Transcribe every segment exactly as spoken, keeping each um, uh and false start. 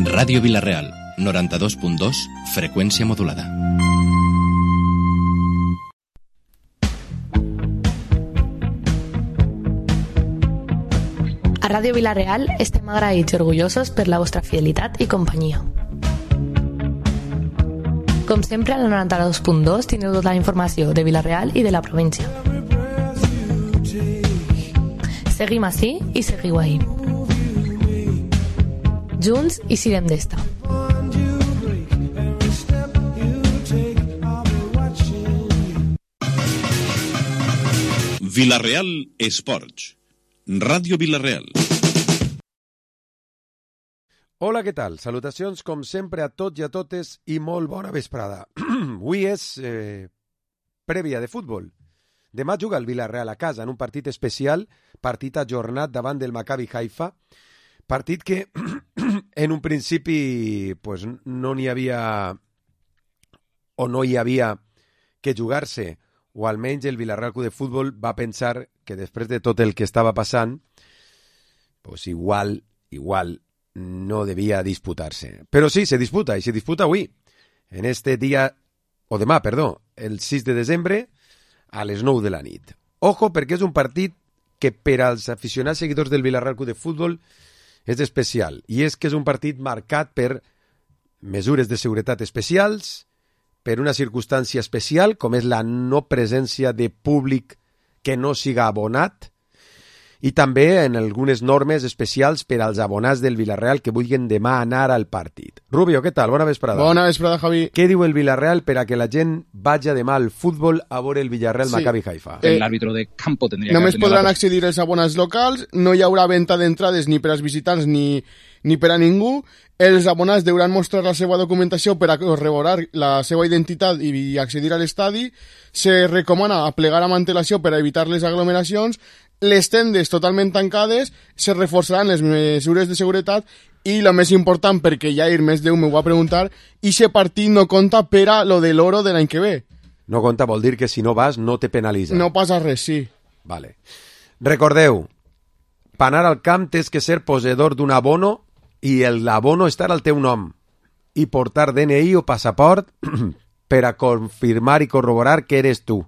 Ràdio Vila-real, noranta-dos punt dos, freqüència modulada. A Ràdio Vila-real estem agraïts i orgullosos per la vostra fidelitat i companyia. Com sempre, al noranta-dos punt dos tindreu tota la informació de Vila-real i de la província. Seguim ací i seguiu ahí. Junts i sirem d'esta. Vila-real Esports. Ràdio Vila-real. Hola, què tal? Salutacions, com sempre, a tots i a totes i molt bona vesprada. Avui és eh, prèvia de futbol. Demà juga el Vila-real a casa en un partit especial, partit ajornat davant del Maccabi Haifa, partit que en un principi pues, no n'hi havia o no hi havia que jugar-se, o almenys el Vila-real Club de Futbol va pensar que després de tot el que estava passant, pues igual, igual no devia disputar-se. Però sí, se disputa, i se disputa avui, en este dia, o demà, perdó, el sis de desembre, a les nou de la nit. Ojo, perquè és un partit que per als aficionats seguidors del Vila-real Club de Futbol és especial, i és que és un partit marcat per mesures de seguretat especials, per una circumstància especial, com és la no presència de públic que no siga abonat, i també en algunes normes especials per als abonats del Vila-real que vulguin demà anar al partit. Rubio, què tal? Bona vesprada. Bona vesprada, Javi. Què diu el Vila-real per a que la gent vagi demà al futbol a veure el Villarreal Sí. Maccabi Haifa? Eh, El árbitro de campo tendría Només que haber tenido podran la accedir els abonats locals, no hi haurà venda d'entrades ni per als visitants ni, ni per a ningú. Els abonats deuran mostrar la seva documentació per a corroborar la seva identitat i accedir a l'estadi. Se recomana plegar amb antelació per a evitar les aglomeracions. Les tendes totalment tancades, se reforçaran les mesures de seguretat i el més important, perquè ja ir més d'un me ho va preguntar, i aquest partit no compta per a lo de l'oro de l'any que ve. No compta vol dir que si no vas no te penalitza. No passa res, sí. Vale. Recordeu, per anar al camp tens que ser poseedor d'un abono i l'abono estar al teu nom i portar D N I o passaport per a confirmar i corroborar que eres tu.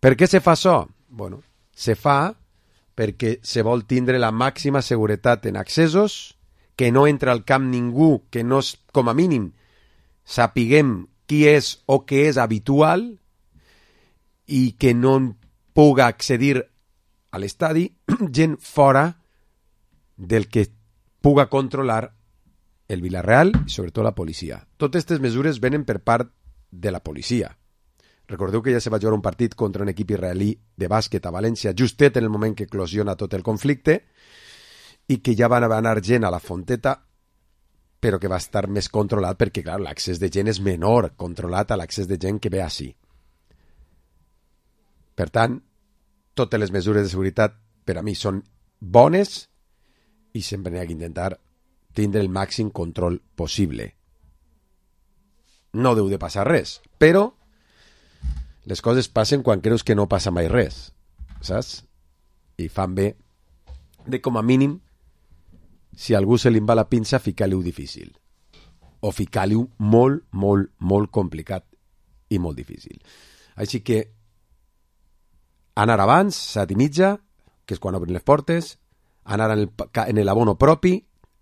Per què se fa això? Bueno, se fa perquè se vol tindre la màxima seguretat en accessos, que no entra al camp ningú que no, com a mínim, sapiguem qui és o què és habitual i que no puga accedir a l'estadi gent fora del que puga controlar el Vila-real i sobretot la policia. Totes aquestes mesures venen per part de la policia. Recordeu que ja se va jugar un partit contra un equip israelí de bàsquet a València justet en el moment que eclosiona tot el conflicte i que ja van anar gent a la Fonteta però que va estar més controlat perquè, clar, l'accés de gent és menor controlat a l'accés de gent que ve així. Per tant, totes les mesures de seguretat per a mi són bones i sempre n'hi ha que intentar tindre el màxim control possible. No deu de passar res, però les coses passen quan creus que no passa mai res, saps? I fan bé de, com a mínim, si a algú se li va la pinça, ficar-li-ho difícil. O ficar-li-ho molt, molt, molt complicat i molt difícil. Així que anar abans, set i mitja, que és quan obrin les portes, anar en el, en l'abono propi,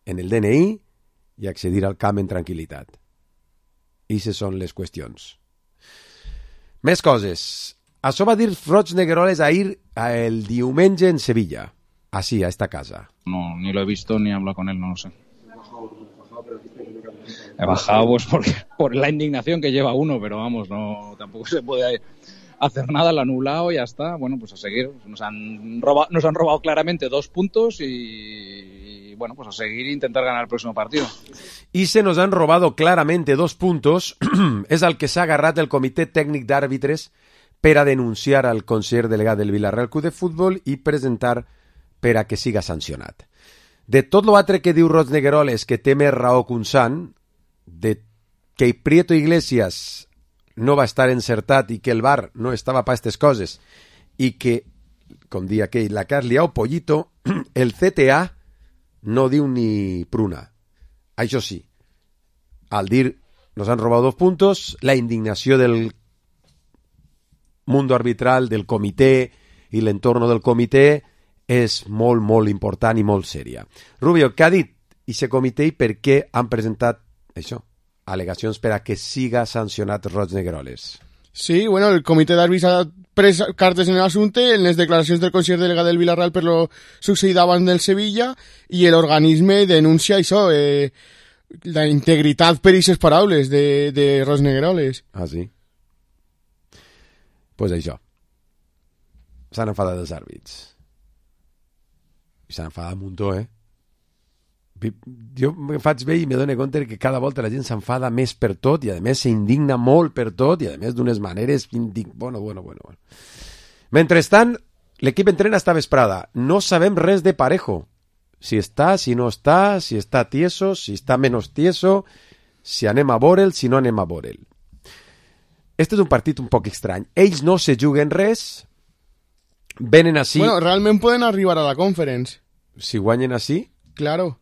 en el D N I, i accedir al camp en tranquil·litat. I aquestes són les qüestions. Més coses. Això va dir Roig Negueroles ahir el diumenge en Sevilla. Así, a esta casa. No, ni lo he visto ni he hablado con él, no lo sé. He bajado pues porque, por la indignación que lleva uno, pero vamos, no tampoco se puede hacer nada, lo anulado y ya está. Bueno, pues a seguir. Nos han robado, nos han robado claramente dos puntos y, y bueno, pues a seguir e intentar ganar el próximo partido. Y se nos han robado claramente dos puntos. És el que s'ha agarrat el Comitè Tècnic d'Àrbitres per a denunciar al conseller delegat del Vila-real Club de Futbol i presentar per a que siga sancionat. De tot l'altre que diu Roig Negueroles, que té més raó que un sant, de que Prieto Iglesias no va estar encertat i que el V A R no estava per aquestes coses i que, com dia aquell, la que has liat pollito, el C T A no diu ni pruna. Això sí, al dir nos han robado dos puntos, la indignació del mundo arbitral, del comitè i l'entorno del comitè és molt, molt important i molt sèria. Rubio, què ha dit aquest comitè i per què han presentat això? Al·legacions per a que siga sancionat Roig Negroles. Sí, bueno, el comitè d'àrbits ha pres cartes en l'assumpte en les declaracions del conseller delegat del Villarreal per lo succeït abans del Sevilla i l'organisme denuncia això, eh, la integritat per aquestes paraules de, de Roig Negroles. Ah, sí? Pues això. S'han enfadat els àrbits. I s'han enfadat un muntó, eh? Jo me faig bé i me dono compte que cada volta la gent s'enfada més per tot i a més s'indigna molt per tot i a més d'unes maneres indig... bueno, bueno, bueno, bueno. Mentrestant, l'equip entrena esta vesprada. No sabem res de Parejo. Si està, si no està, si està tieso, si està menys tieso, si anem a veure'l, si no anem a veure'l. Este és un partit un poc estrany. Ells no se juguen res, venen així... Bueno, realment poden arribar a la conference. Si guanyen així... Claro.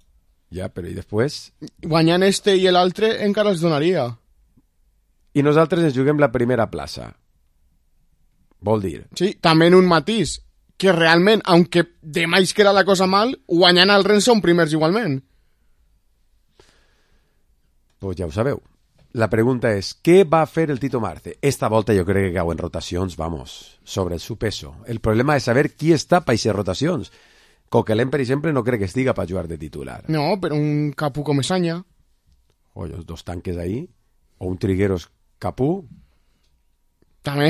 Ja, però i després... Guanyant este i l'altre encara els donaria. I nosaltres ens juguem la primera plaça. Vol dir... Sí, també en un matís, que realment, aunque demà es queda la cosa mal, guanyant el Rennes són primers igualment. Pues ja ho sabeu. La pregunta és, què va fer el Tito Marce? Esta volta jo crec que cau en rotacions, vamos, sobre el su peso. El problema és saber qui està per aquestes rotacions. Coquelin, per exemple, no crec que estiga per jugar de titular. No, però un Capú com Esanya. O els dos tanques ahí, o un Trigueros Capú. També.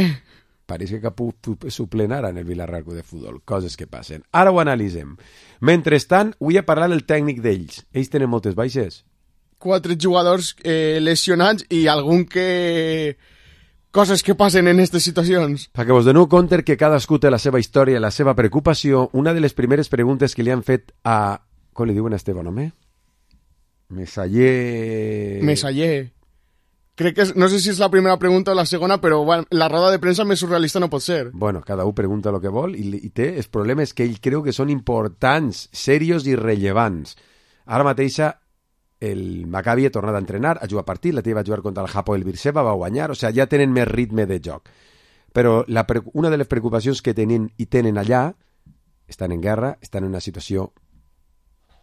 Pareix que Capú suplent ara en el Villarreal de Futbol. Coses que passen. Ara ho analitzem. Mentrestant, vull parlar el tècnic d'ells. Ells tenen moltes baixes. Quatre jugadors eh, lesionats i algun que... Coses que passen en aquestes situacions. Perquè vos doneu compte que cadascú té la seva història, la seva preocupació. Una de les primeres preguntes que li han fet a... Com li diuen a Esteban Home? Mesaller... Mesaller. Crec que és, no sé si és la primera pregunta o la segona, però bueno, la roda de premsa més surrealista no pot ser. Bueno, cada un pregunta el que vol i, i té els problemes que ell creu que són importants, serios i rellevants. Ara mateixa el Maccabi ha tornat a entrenar, ha jugat partit, la teva va jugar contra el Hapoel Beersheva, va guanyar, o sigui, ja tenen més ritme de joc. Però la, una de les preocupacions que tenen i tenen allà, estan en guerra, estan en una situació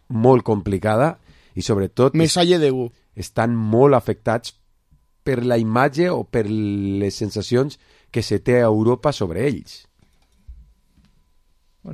molt complicada i sobretot Mesalle de U. Estan molt afectats per la imatge o per les sensacions que se té a Europa sobre ells.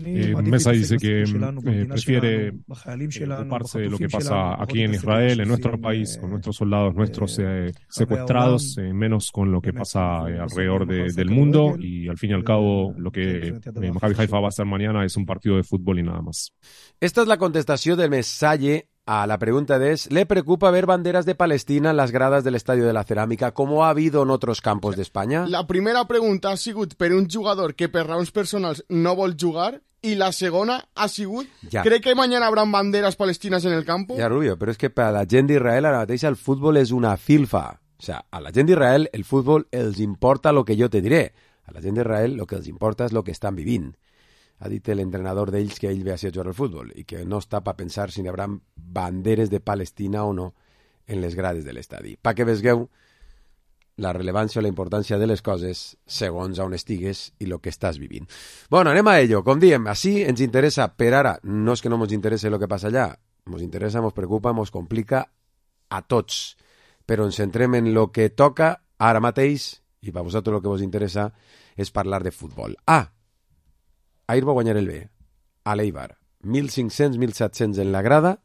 Eh, Mesa dice que eh, prefiere ocuparse de lo que pasa aquí en Israel, en nuestro país, con nuestros soldados nuestros eh, secuestrados, eh, menos con lo que pasa eh, alrededor de, del mundo, y al fin y al cabo lo que eh, Maccabi Haifa va a hacer mañana es un partido de fútbol y nada más. Esta es la contestació del Mesalle a la pregunta de es, ¿le preocupa ver banderas de Palestina en las gradas del Estadio de la Cerámica como ha habido en otros campos de España? La primera pregunta ha sigut per un jugador que per raons personals no vol jugar y la segona ha sigut, ja. ¿cree que mañana habrán banderas palestinas en el campo? Ja, Rubio, però és que per a la gent d'Israel ara mateix el futbol és una filfa. O sea, a la gent d'Israel el futbol els importa lo que jo te diré. A la gent d'Israel lo que els importa és lo que estan vivint. Ha dit l'entrenador d'ells que ell ve a jugar al futbol i que no està per pensar si n'hi haurà banderes de Palestina o no en les grades de l'estadi. Pa que vegueu la rellevància o la importància de les coses segons on estigues i el que estàs vivint. Bueno, anem a ello. Com diem, així ens interessa per ara. No és que no ens interessa el que passa allà. Ens interessa, ens preocupa, ens complica a tots. Però ens centrem en el que toca ara mateix i per vosaltres el que vos interessa és parlar de futbol. Ah, ahir va guanyar el B, a l'Eibar. mil cinc-cents mil set-cents en la grada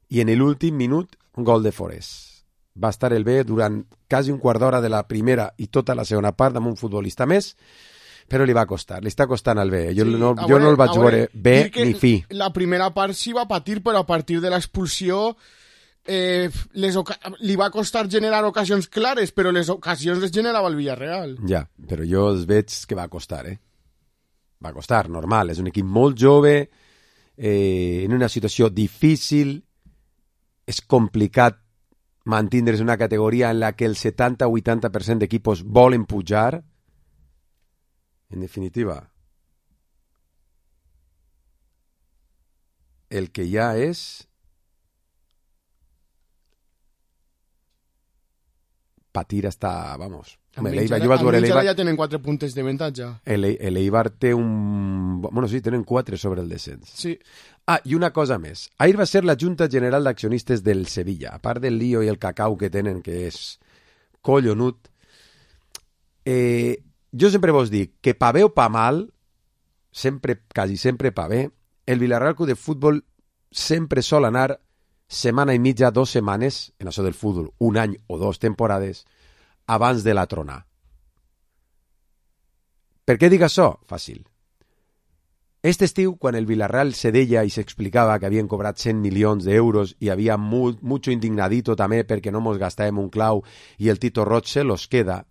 i en l'últim minut un gol de Forés. Va estar el B durant quasi un quart d'hora de la primera i tota la segona part amb un futbolista més, però li va costar, li està costant al B. Jo, sí, no, jo veure, no el vaig veure bé ni fi. La primera part sí va patir, però a partir de l'expulsió eh, les li va costar generar ocasions clares, però les ocasions les generava el Villarreal. Ja, però jo els veig que va costar, eh? Va costar, normal, és un equip molt jove, eh, en una situació difícil, és complicat mantindre's una categoria en la que el setanta o vuitanta per cent d'equipos volen pujar. En definitiva, el que ja és patir hasta, vamos. L'Eibar ja tenen quatre puntes de avantatge. L'Eibar té un... Bueno, sí, tenen quatre sobre el descens. Sí. Ah, i una cosa més. Ahir va ser la Junta General d'Accionistes del Sevilla. A part del lío i el cacau que tenen, que és collonut, eh, jo sempre vos dic que pa bé o pa mal, sempre, quasi sempre pa bé, el Villarreal Club de Futbol sempre sol anar setmana i mitja, dos setmanes, en això del futbol, un any o dos temporades, abans de la trona. Per què dic això? Fàcil. Este estiu, quan el Villarreal se deia i s'explicava que havien cobrat cent milions d'euros i havia mu mucho indignadito també perquè no mos gastàvem un clau i el Tito Roig se los queda,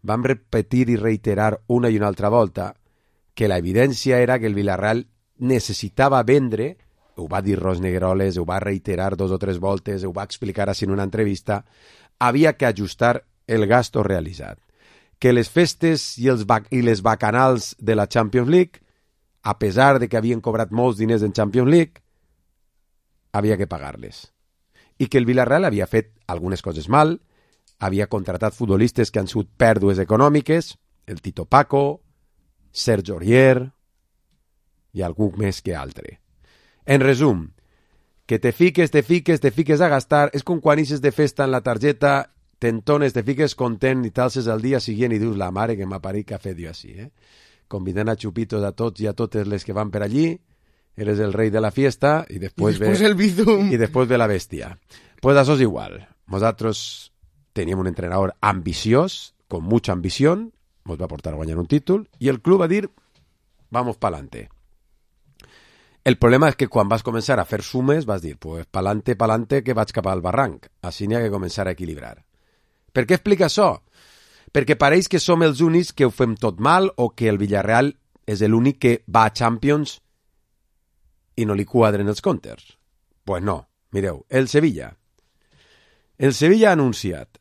vam repetir i reiterar una i una altra volta que la evidència era que el Villarreal necessitava vendre, ho va dir Ros Negroles, ho va reiterar dos o tres voltes, ho va explicar així en una entrevista, havia que ajustar el gasto realitzat. Que les festes i, els i les bacanals de la Champions League, a pesar de que havien cobrat molts diners en Champions League, havia que pagar-les. I que el Villarreal havia fet algunes coses mal, havia contratat futbolistes que han sigut pèrdues econòmiques, el Tito Paco, Serge Aurier i algú més que altre. En resum, que te fiques, te fiques, te fiques a gastar, és com quan ixes de festa en la targeta, t'entones, te fiques content i t'alces al dia següent i dius la mare que m'ha parit que ha fet jo així, eh? Convidant a xupitos a tots i a totes les que van per allí, eres el rei de la fiesta i després, I després ve, el bizum. I després ve la bèstia. Pues això és igual. Nosaltres teníem un entrenador ambiciós, con mucha ambición, nos va a portar a guanyar un títol, i el club va dir, vamos pa'lante. El problema és que quan vas començar a fer sumes vas dir, pues pa'lante, pa'lante, que vaig cap al barranc. Així n'hi ha que començar a equilibrar. Per què explica això? Perquè pareix que som els únics que ho fem tot mal o que el Villarreal és l'únic que va a Champions i no li quadren els comptes. Pues no, mireu, el Sevilla. El Sevilla ha anunciat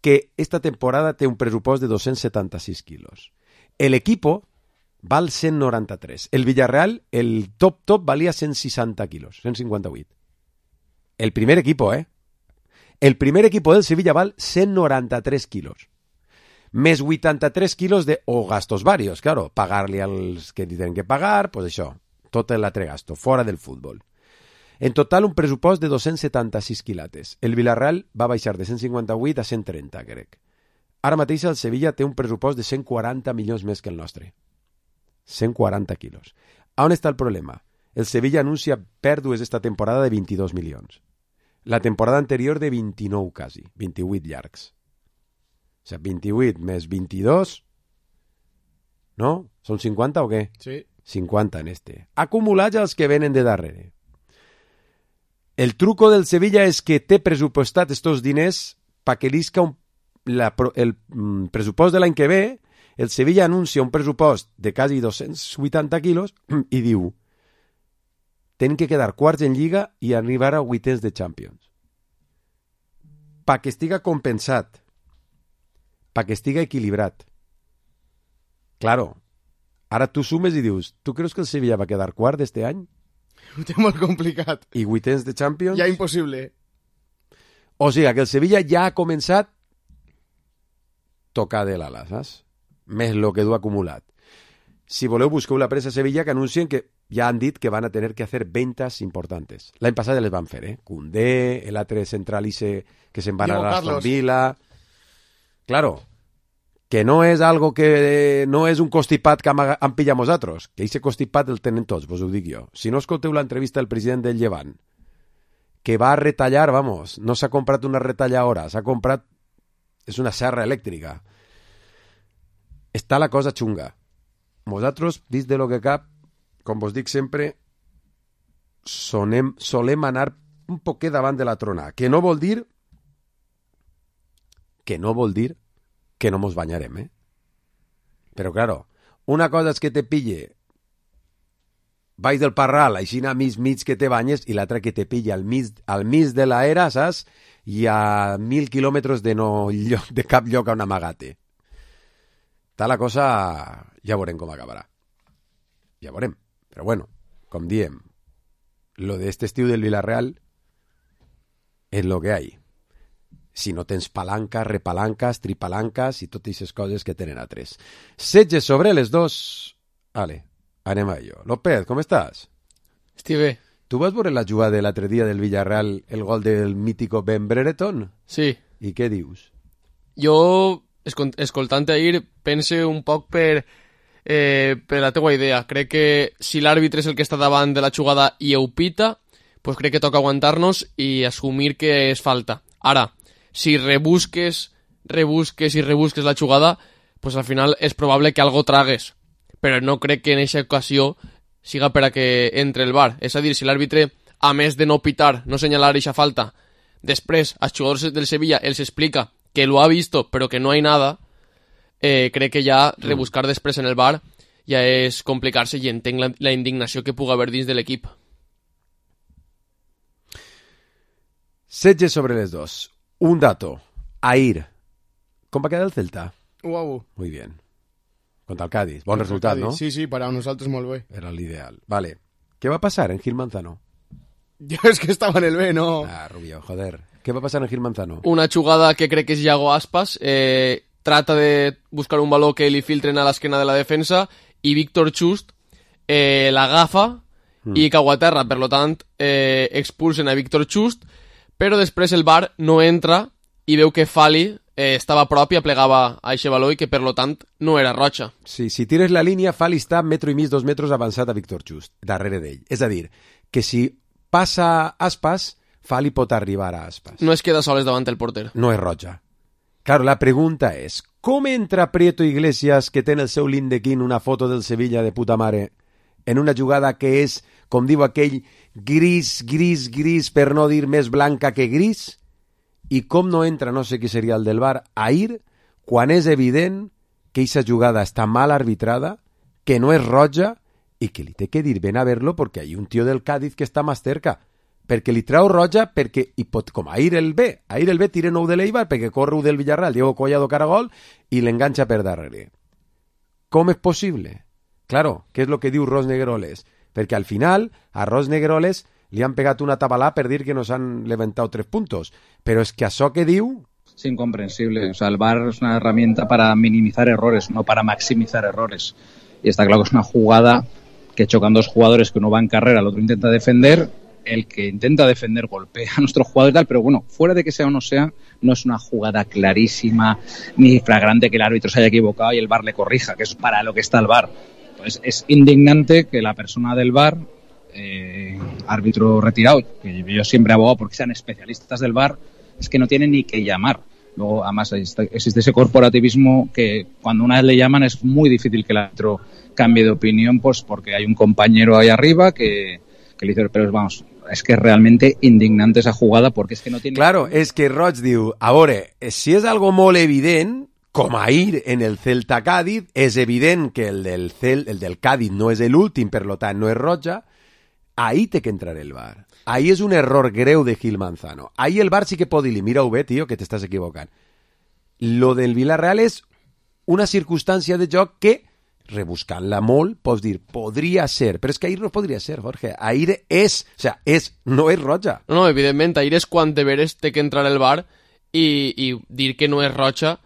que esta temporada té un pressupost de dos-cents setanta-sis quilos. El equipo val cent noranta-tres. El Villarreal, el top top, valia cent seixanta quilos, cent cinquanta-vuit. El primer equipo, eh? El primer equipo del Sevilla val cent noranta-tres quilos. Més vuitanta-tres quilos de o gastos varios, claro. Pagar-li als que tenen que pagar, pues això. Tot l'altre gasto, fora del futbol. En total, un pressupost de dos-cents setanta-sis quilates. El Villarreal va baixar de cent cinquanta-vuit a cent trenta, crec. Ara mateix el Sevilla té un pressupost de cent quaranta milions més que el nostre. cent quaranta quilos. A on està el problema? El Sevilla anuncia pèrdues esta temporada de vint-i-dos milions. La temporada anterior de vint-i-nou quasi, vint-i-vuit llargs. O sigui, vint-i-vuit més vint-i-dos, no? Són cinquanta o què? Sí. cinquanta en este. Acumulats els que venen de darrere. El truco del Sevilla és que té pressupostat estos diners pa que l'isca un, la, el mm, pressupost de l'any que ve. El Sevilla anuncia un pressupost de quasi dos-cents vuitanta quilos i diu tenen que quedar quarts en Lliga i arribar a vuitens de Champions. Pa que estiga compensat. Pa que estiga equilibrat. Claro, ara tu sumes i dius, tu creus que el Sevilla va quedar quart d'este any? Ho té molt complicat. I vuitens de Champions? Ja impossible. O sigui, que el Sevilla ja ha començat tocar de l'ala, saps? Més lo que du acumulat. Si voleu, busqueu la pressa a Sevilla que anuncien que ja han dit que van a tener que hacer ventas importantes. L'any passat ja les van fer, eh? Koundé, l'altre central ise que se'n van a l'Aston Villa. Claro, que no és algo que no és un constipat que han, han pillat nosaltres, que ese constipat el tenen tots, vos ho dic jo. Si no escolteu l'entrevista del president del Llevant, que va a retallar, vamos, no s'ha comprat una retalladora, s'ha comprat, és una serra elèctrica. Està la cosa xunga. Nosaltres, dins de lo que cap, com vos dic sempre, sonem, solem anar un poquet davant de la trona, que no vol dir que no vol dir que no mos banyarem, eh? Però, claro, una cosa és que te pille baix del parral, així a mig mig que te banyes, i l'altra que te pille al mig, al mig de l'era, saps? I a mil quilòmetres de, no, de cap lloc on amagate. Està la cosa, ja veurem com acabarà. Ja veurem. Però bueno, com diem, lo de este estiu del Villarreal és lo que hay. Si no tens palanques, repalanques, tripalanques i totes aquestes coses que tenen altres. setze sobre les dos. Vale, anem a ello. López, com estàs? Estic bé. Tu vas veure la jugada de l'altre dia del Villarreal, el gol del mítico Ben Brereton? Sí. I què dius? Jo, escoltant ahir, pense un poc per, eh, per la teua idea. Crec que si l'àrbitre és el que està davant de la jugada i ho pita, pues crec que toca aguantar-nos i assumir que és falta. Ara, si rebusques, rebusques i rebusques la jugada, pues al final és probable que algo tragues. Però no crec que en aquesta ocasió siga per a que entre el V A R. És a dir, si l'àrbitre, a més de no pitar, no senyalar aquesta falta, després als jugadors del Sevilla els explica que lo ha visto però que no hay nada, eh, crec que ja rebuscar després en el V A R ja és complicar-se i entenc la, la indignació que pugui haver dins de l'equip. setze sobre les dos. Un dato. Ahir. Com va quedar el Celta? u a u. Muy bien. Contra el Cádiz. Bon resultat, Cádiz. no? Sí, sí, per a nosaltres molt bé. Era l'ideal. Vale. Què va passar en Gil Manzano? Jo és que estava en el B, no? Ah, Rubio, joder. Què va passar en Gil Manzano? Una jugada que crec que és Iago Aspas. Eh, trata de buscar un baló que li filtren a l'esquena de la defensa i Víctor Just eh, l'agafa mm. i cau a terra. Per lo tant, eh, expulsen a Víctor Just, però després el V A R no entra i veu que Fali eh, estava a prop i aplegava a eixe baló i que per lo tant no era roja. Sí, si tires la línia, Fali està metro i mig, dos metres avançat a Víctor Just, darrere d'ell. És a dir, que si passa Aspas, Fali pot arribar a Aspas. No es queda soles davant el porter. No és roja. Claro, la pregunta és, com entra Prieto Iglesias, que té en el seu lindequín una foto del Sevilla de puta mare, en una jugada que és, com diu aquell, gris, gris, gris, per no dir més blanca que gris? I com no entra, no sé qui seria el del V A R, ahir, quan és evident que aquesta jugada està mal arbitrada, que no és roja, i que li té que dir ven a verlo perquè hi ha un tio del Cádiz que està més cerca, perquè li trau roja, perquè, i pot, com ahir el B, ahir el B tira nou de l'Eibar, perquè corre del Villarreal, Diego Collado Caragol, i l'enganxa per darrere. Com és possible? Claro, què és el que diu Ros Negroles? Perquè al final, a Ros Negroles li han pegat una tabalà per dir que nos han levantado tres puntos. Pero es que això que diu... Es incomprensible. O sea, el V A R es una herramienta para minimizar errores, no para maximizar errores. Y está claro que es una jugada que chocan dos jugadores, que uno va en carrera, el otro intenta defender. El que intenta defender golpea a nuestro jugador y tal, pero bueno, fuera de que sea o no sea, no es una jugada clarísima ni flagrante que el árbitro se haya equivocado y el V A R le corrija, que es para lo que está el V A R. Pues es indignante que la persona del V A R, eh, árbitro retirado, que yo siempre he abogado porque sean especialistas del V A R, es que no tienen ni que llamar. Luego, además, existe ese corporativismo que cuando una vez le llaman es muy difícil que el árbitro cambie de opinión, pues porque hay un compañero ahí arriba que, que le dice, pero vamos, es que es realmente indignante esa jugada porque es que no tiene... Claro, es que Roig diu, a veure, si és algo molt evident, com ahir en el Celta Cádiz, és evident que el del, Cel, el del Cádiz no és l'últim, per lo tant no és roja, ahí té que entrar el V A R. Ahí és un error greu de Gil Manzano. Ahí el V A R sí que pot dir-li, mira-ho bé, tio, que t'estàs equivocant. Lo del Villarreal és una circumstància de joc que, rebuscant-la molt, pots dir, podria ser, però és que ahir no podria ser, Jorge. Ahir és, o sea, és, no és roja. No, no, evidentment, ahir és quan de veres té que entrar el V A R i, i dir que no és roja,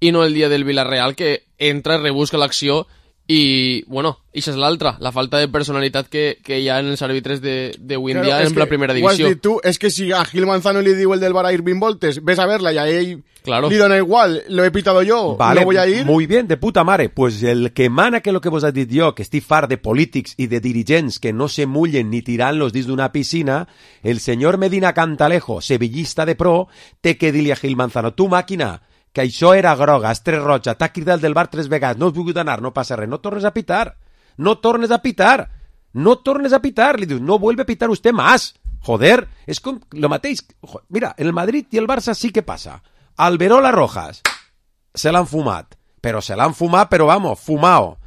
i no el dia del Villarreal, que entra, rebusca l'acció i, bueno, això és l'altra, la falta de personalitat que, que hi ha en els àrbitres d'avui en dia en la primera divisió. Ho has dit tu, és que si a Gil Manzano li diu el del V A R a ir vint voltes, ves a verla i a ell claro. li dona igual, lo he pitado yo, vale, no voy a ir. Muy bien, de puta mare. Pues el que mana que lo que vos has dit jo, que estic fart de polítics i de dirigents que no se mullen ni tirant-los dins d'una piscina, el senyor Medina Cantalejo, sevillista de pro, té que dir-li a Gil Manzano, tu màquina, que això era groga, estres roja, t'ha cridat del bar tres vegades, no has volgut anar, no passa res, no tornes a pitar, no tornes a pitar, no tornes a pitar, li dius, no vuelve a pitar usted más, joder, és com lo mateix, mira, en el Madrid i el Barça sí que passa, Alberola Rojas, se l'han fumat, però se l'han fumat, però vamos, fumao,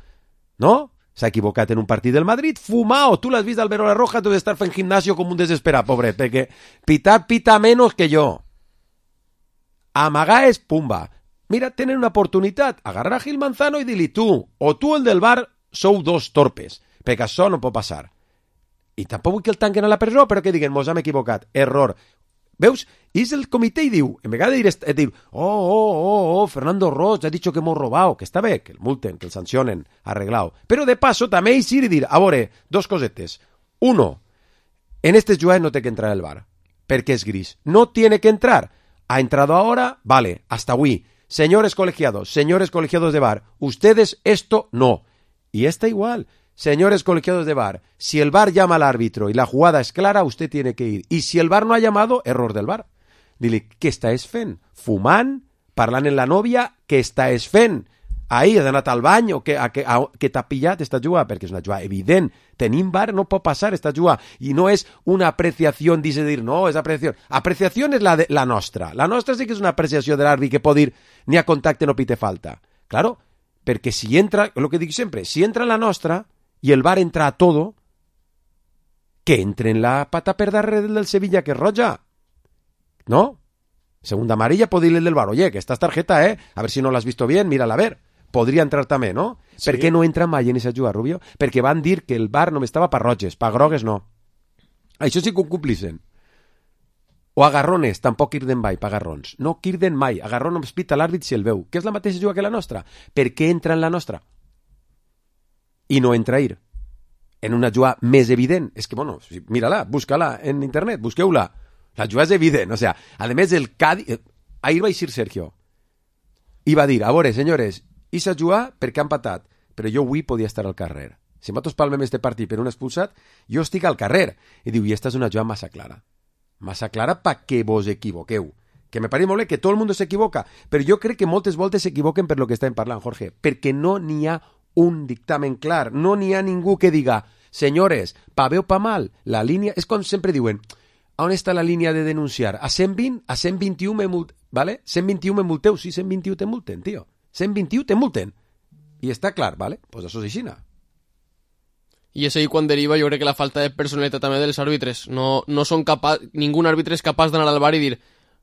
no? S'ha equivocat en un partit del Madrid, fumao, tu l'has vist Alberola Rojas, debe estar fent gimnasio com un desesperat, pobret, perquè pitar pita menos que jo. Amagar és pumba. Mira, tenen una oportunitat. Agarrar a Gil Manzano i dir-li tu, o tu el del V A R, sou dos torpes, perquè això no pot passar. I tampoc vull que el tanquen a la presó, però que diguen, mos hem equivocat, error. Veus? És el comitè i diu, en vegada de dir, de dir oh, oh, oh, oh, Fernando Roig ha dicho que hemos robado, que està bé, que el multen, que el sancionen, arreglado. Però de paso també és ir i dir, a veure, dos cosetes. Uno, en este juez no té que entrar el V A R, perquè és gris. No tiene que entrar. Ha entrado ahora, vale, hasta hoy. Señores colegiados, señores colegiados de V A R, ustedes esto no. Y está igual. Señores colegiados de V A R, si el V A R llama al árbitro y la jugada es clara, usted tiene que ir. Y si el V A R no ha llamado, error del V A R. Dile, què estàs fent? Fumant? Parlant en la nòvia? Què estàs fent? Ahir has anat al bany o que, a, que, a, que t'ha pillat esta jugada? Perquè és una jugada evident. Tenim V A R, no pot passar esta jugada. I no és una apreciació, dice dir, no, és apreciació. Apreciació és la, de, la nostra. La nostra sí que és una apreciació de l'àrbit que pot dir ni a contacte no pite falta. Claro, perquè si entra, el que dic sempre, si entra la nostra i el V A R entra a todo, que entre en la pata per darrere del Sevilla, que és roja. ¿No? Segunda amarilla, puede ir el del V A R. Oye, que esta es tarjeta, ¿eh? A ver si no la has visto bien, mírala a ver. Podria entrar també, no? Sí. Per què no entra mai en esa jugada, Rubio? Perquè van dir que el V A R només estava per roges, per grogues no. Això sí que ho complixen. O agarrones, tampoc irden mai, per agarrons. No irden mai, agarrón només pita l'àrbit si el veu. Que és la mateixa jugada que la nostra. Per què entra en la nostra? I no entra a ir. En una jugada més evident. És que, bueno, mírala, busca-la en internet, busqueu-la. La jugada és evident, o sea, a més el Cádiz... Ahir va eixir Sergio i va dir, a veure, senyores, ixa jugada perquè han patat, però jo avui podia estar al carrer. Si nosaltres palmem este partit per un expulsat, jo estic al carrer. I diu, i esta és una jugada massa clara. Massa clara pa que vos equivoqueu. Que me pareix molt bé que tot el món s'equivoca, però jo crec que moltes voltes s'equivoquen per lo que estem parlant, Jorge, perquè no n'hi ha un dictamen clar, no n'hi ha ningú que diga, senyores, pa bé o pa mal, la línia... És com sempre diuen... On està la línia de denunciar? A cent vint? A cent vint-i-u me multen, ¿vale? cent vint-i-u me multeu, sí, cent vint-i-u te multen, tio. cent vint-i-u te multen. I està clar, ¿vale? Pues això és aixina. I és ahí quan deriva, jo crec que la falta de personalitat també dels àrbitres. No, no són capaç, ningú àrbitre és capaç d'anar al bar i dir,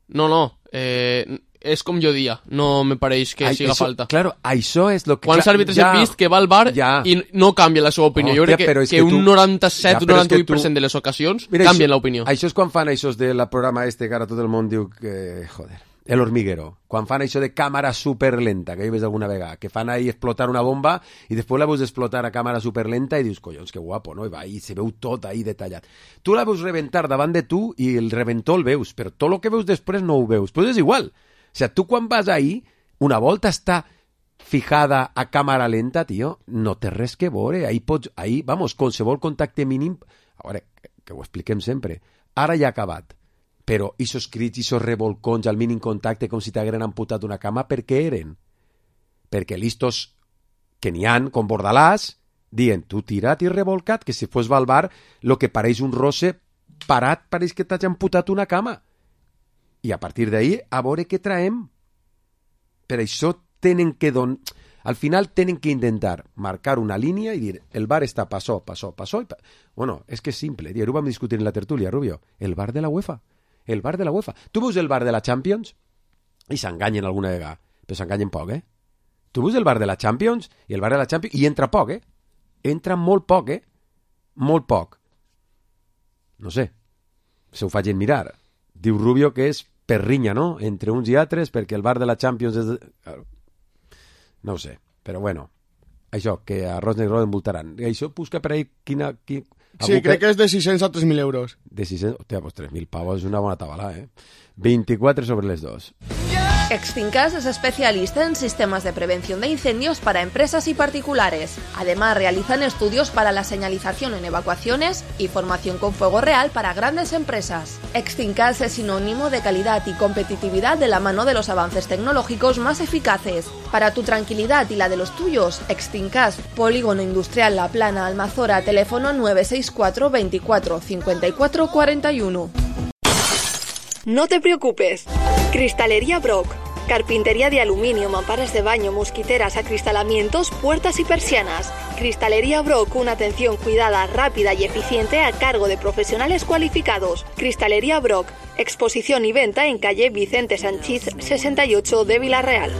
no, no, eh, és com jo dia, no me pareix que Ai, siga això, falta. Claro, això és lo que... Quants àrbitres ja, hem vist que va al bar ja. I no canvia la seva opinió. Hòstia, jo crec que, que, que un tu... noranta-set o noranta-vuit per cent tu... de les ocasions Mira, canvien l'opinió. Això és quan fan això del programa este que ara tot el món diu que... Joder, El Hormiguero. Quan fan això de càmera superlenta, que hi ves alguna vegada, que fan ahí explotar una bomba i després la veus explotar a càmera superlenta i dius, collons, que guapo, no? I va ahí, se veu tot ahí detallat. Tu la veus reventar davant de tu i el reventó el veus, però tot el que veus després no ho veus. Pues és igual. O sea, tu quan vas ahí, una volta està fijada a càmera lenta, tio, no té res que veure. Ahí pots, ahí, vamos, qualsevol contacte mínim... A veure, que, que ho expliquem sempre. Ara ja ha acabat. Però isos crits, isos revolcons al mínim contacte com si t'hagueren amputat una cama, per què eren? Perquè listos que n'hi han, com Bordalàs, dient, tu tirat i revolcat, que si fos va al bar, lo que pareix un rosse parat, pareix que t'hagi amputat una cama. I a partir d'ahí, a veure què traem. Per això tenen que don... Al final tenen que intentar marcar una línia i dir, el bar està passó, passó, passó... I pa... Bueno, és que és simple, tio, ho vam discutir en la tertúlia, Rubio. El bar de la UEFA. El bar de la UEFA. Tu veus el bar de la Champions? I s'enganyen alguna vegada. Però s'enganyen poc, eh? Tu veus el bar de la Champions? I el bar de la Champions... I entra poc, eh? Entra molt poc, eh? Molt poc. No sé. Se ho facin mirar. Diu Rubio que és perrinya, no? Entre uns i altres, perquè el bar de la Champions és... De... No ho sé, però bueno, això, que a Ros Negro envoltaran. I això busca per ahí quina... Quin... Sí, crec que és de sis-cents a tres mil euros. De sis-cents... Hòstia, pues tres mil pavos és una bona tabala, eh? veinticuatro sobre les dos. Extincas es especialista en sistemas de prevención de incendios para empresas y particulares. Además, realizan estudios para la señalización en evacuaciones y formación con fuego real para grandes empresas. Extincas es sinónimo de calidad y competitividad de la mano de los avances tecnológicos más eficaces. Para tu tranquilidad y la de los tuyos, Extincas, Polígono Industrial La Plana, Almazora, teléfono nueve seis cuatro veinticuatro cincuenta y cuatro cuarenta y uno. No te preocupes. Cristalería Brock. Carpintería de aluminio, mamparas de baño, mosquiteras, acristalamientos, puertas y persianas. Cristalería Brock, una atención cuidada, rápida y eficiente a cargo de profesionales cualificados. Cristalería Brock. Exposición y venta en calle Vicente Sanchís sesenta y ocho de Villarreal.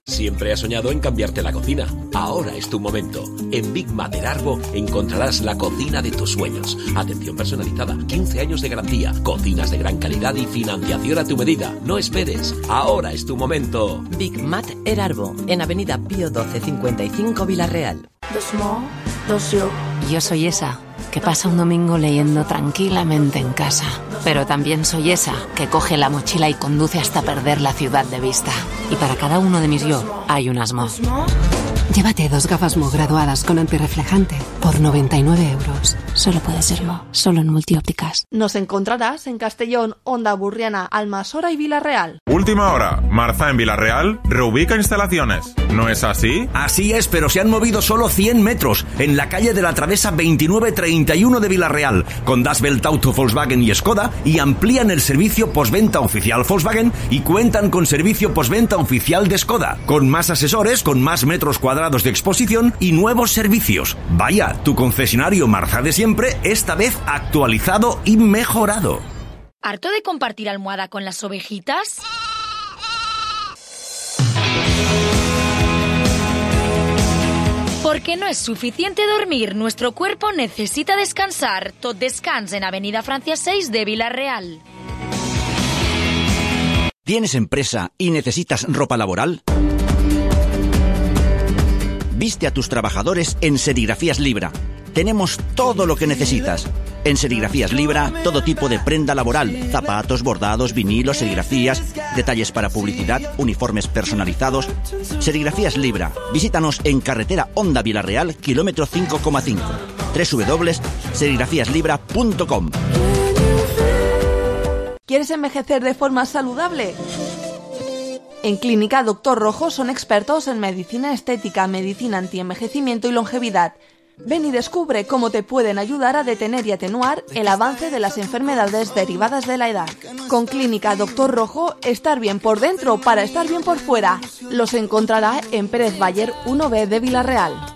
Siempre has soñado en cambiarte la cocina. Ahora es tu momento. En Big Mat Erarbo encontrarás la cocina de tus sueños. Atención personalizada, quince años de garantía, cocinas de gran calidad y financiación a tu medida. No esperes. Ahora es tu momento. Big Mat Erarbo, en Avenida Pío doce cincuenta y cinco Villarreal. Dos mo, dos yo. Yo soy esa que pasa un domingo leyendo tranquilamente en casa. Pero también soy esa que coge la mochila y conduce hasta perder la ciudad de vista. Y para cada uno de mis yo hay un Asmo. Llévate dos gafas Mo graduadas con antirreflejante por noventa y nueve euros. Solo puede ser Mo, solo en Multiópticas. Nos encontrarás en Castellón, Onda Burriana, Almasora y Villarreal. Última hora. Marza en Villarreal reubica instalaciones. ¿No es así? Así es, pero se han movido solo cien metros en la calle de la Travesa veintinueve treinta y uno de Villarreal, con Das Welt Auto Volkswagen y Skoda, y amplían el servicio postventa oficial Volkswagen y cuentan con servicio postventa oficial de Skoda, con más asesores, con más metros cuadrados de exposición y nuevos servicios. Vaya, tu concesionario Marza de siempre, esta vez actualizado y mejorado. ¿Harto de compartir almohada con las ovejitas? Porque no es suficiente dormir, nuestro cuerpo necesita descansar. Tot Descans en Avenida Francia seis de Villarreal. ¿Tienes empresa y necesitas ropa laboral? Viste a tus trabajadores en Serigrafías Libra. Tenemos todo lo que necesitas. En Serigrafías Libra, todo tipo de prenda laboral, zapatos, bordados, vinilos, serigrafías, detalles para publicidad, uniformes personalizados. Serigrafías Libra. Visítanos en carretera Honda Villarreal, kilómetro cinco coma cinco. doble u doble u doble u punto serigrafías libra punto com. ¿Quieres envejecer de forma saludable? En Clínica Doctor Rojo son expertos en medicina estética, medicina antienvejecimiento y longevidad. Ven y descubre cómo te pueden ayudar a detener y atenuar el avance de las enfermedades derivadas de la edad. Con Clínica Doctor Rojo, estar bien por dentro para estar bien por fuera. Los encontrará en Pérez Bayer uno B de Villarreal.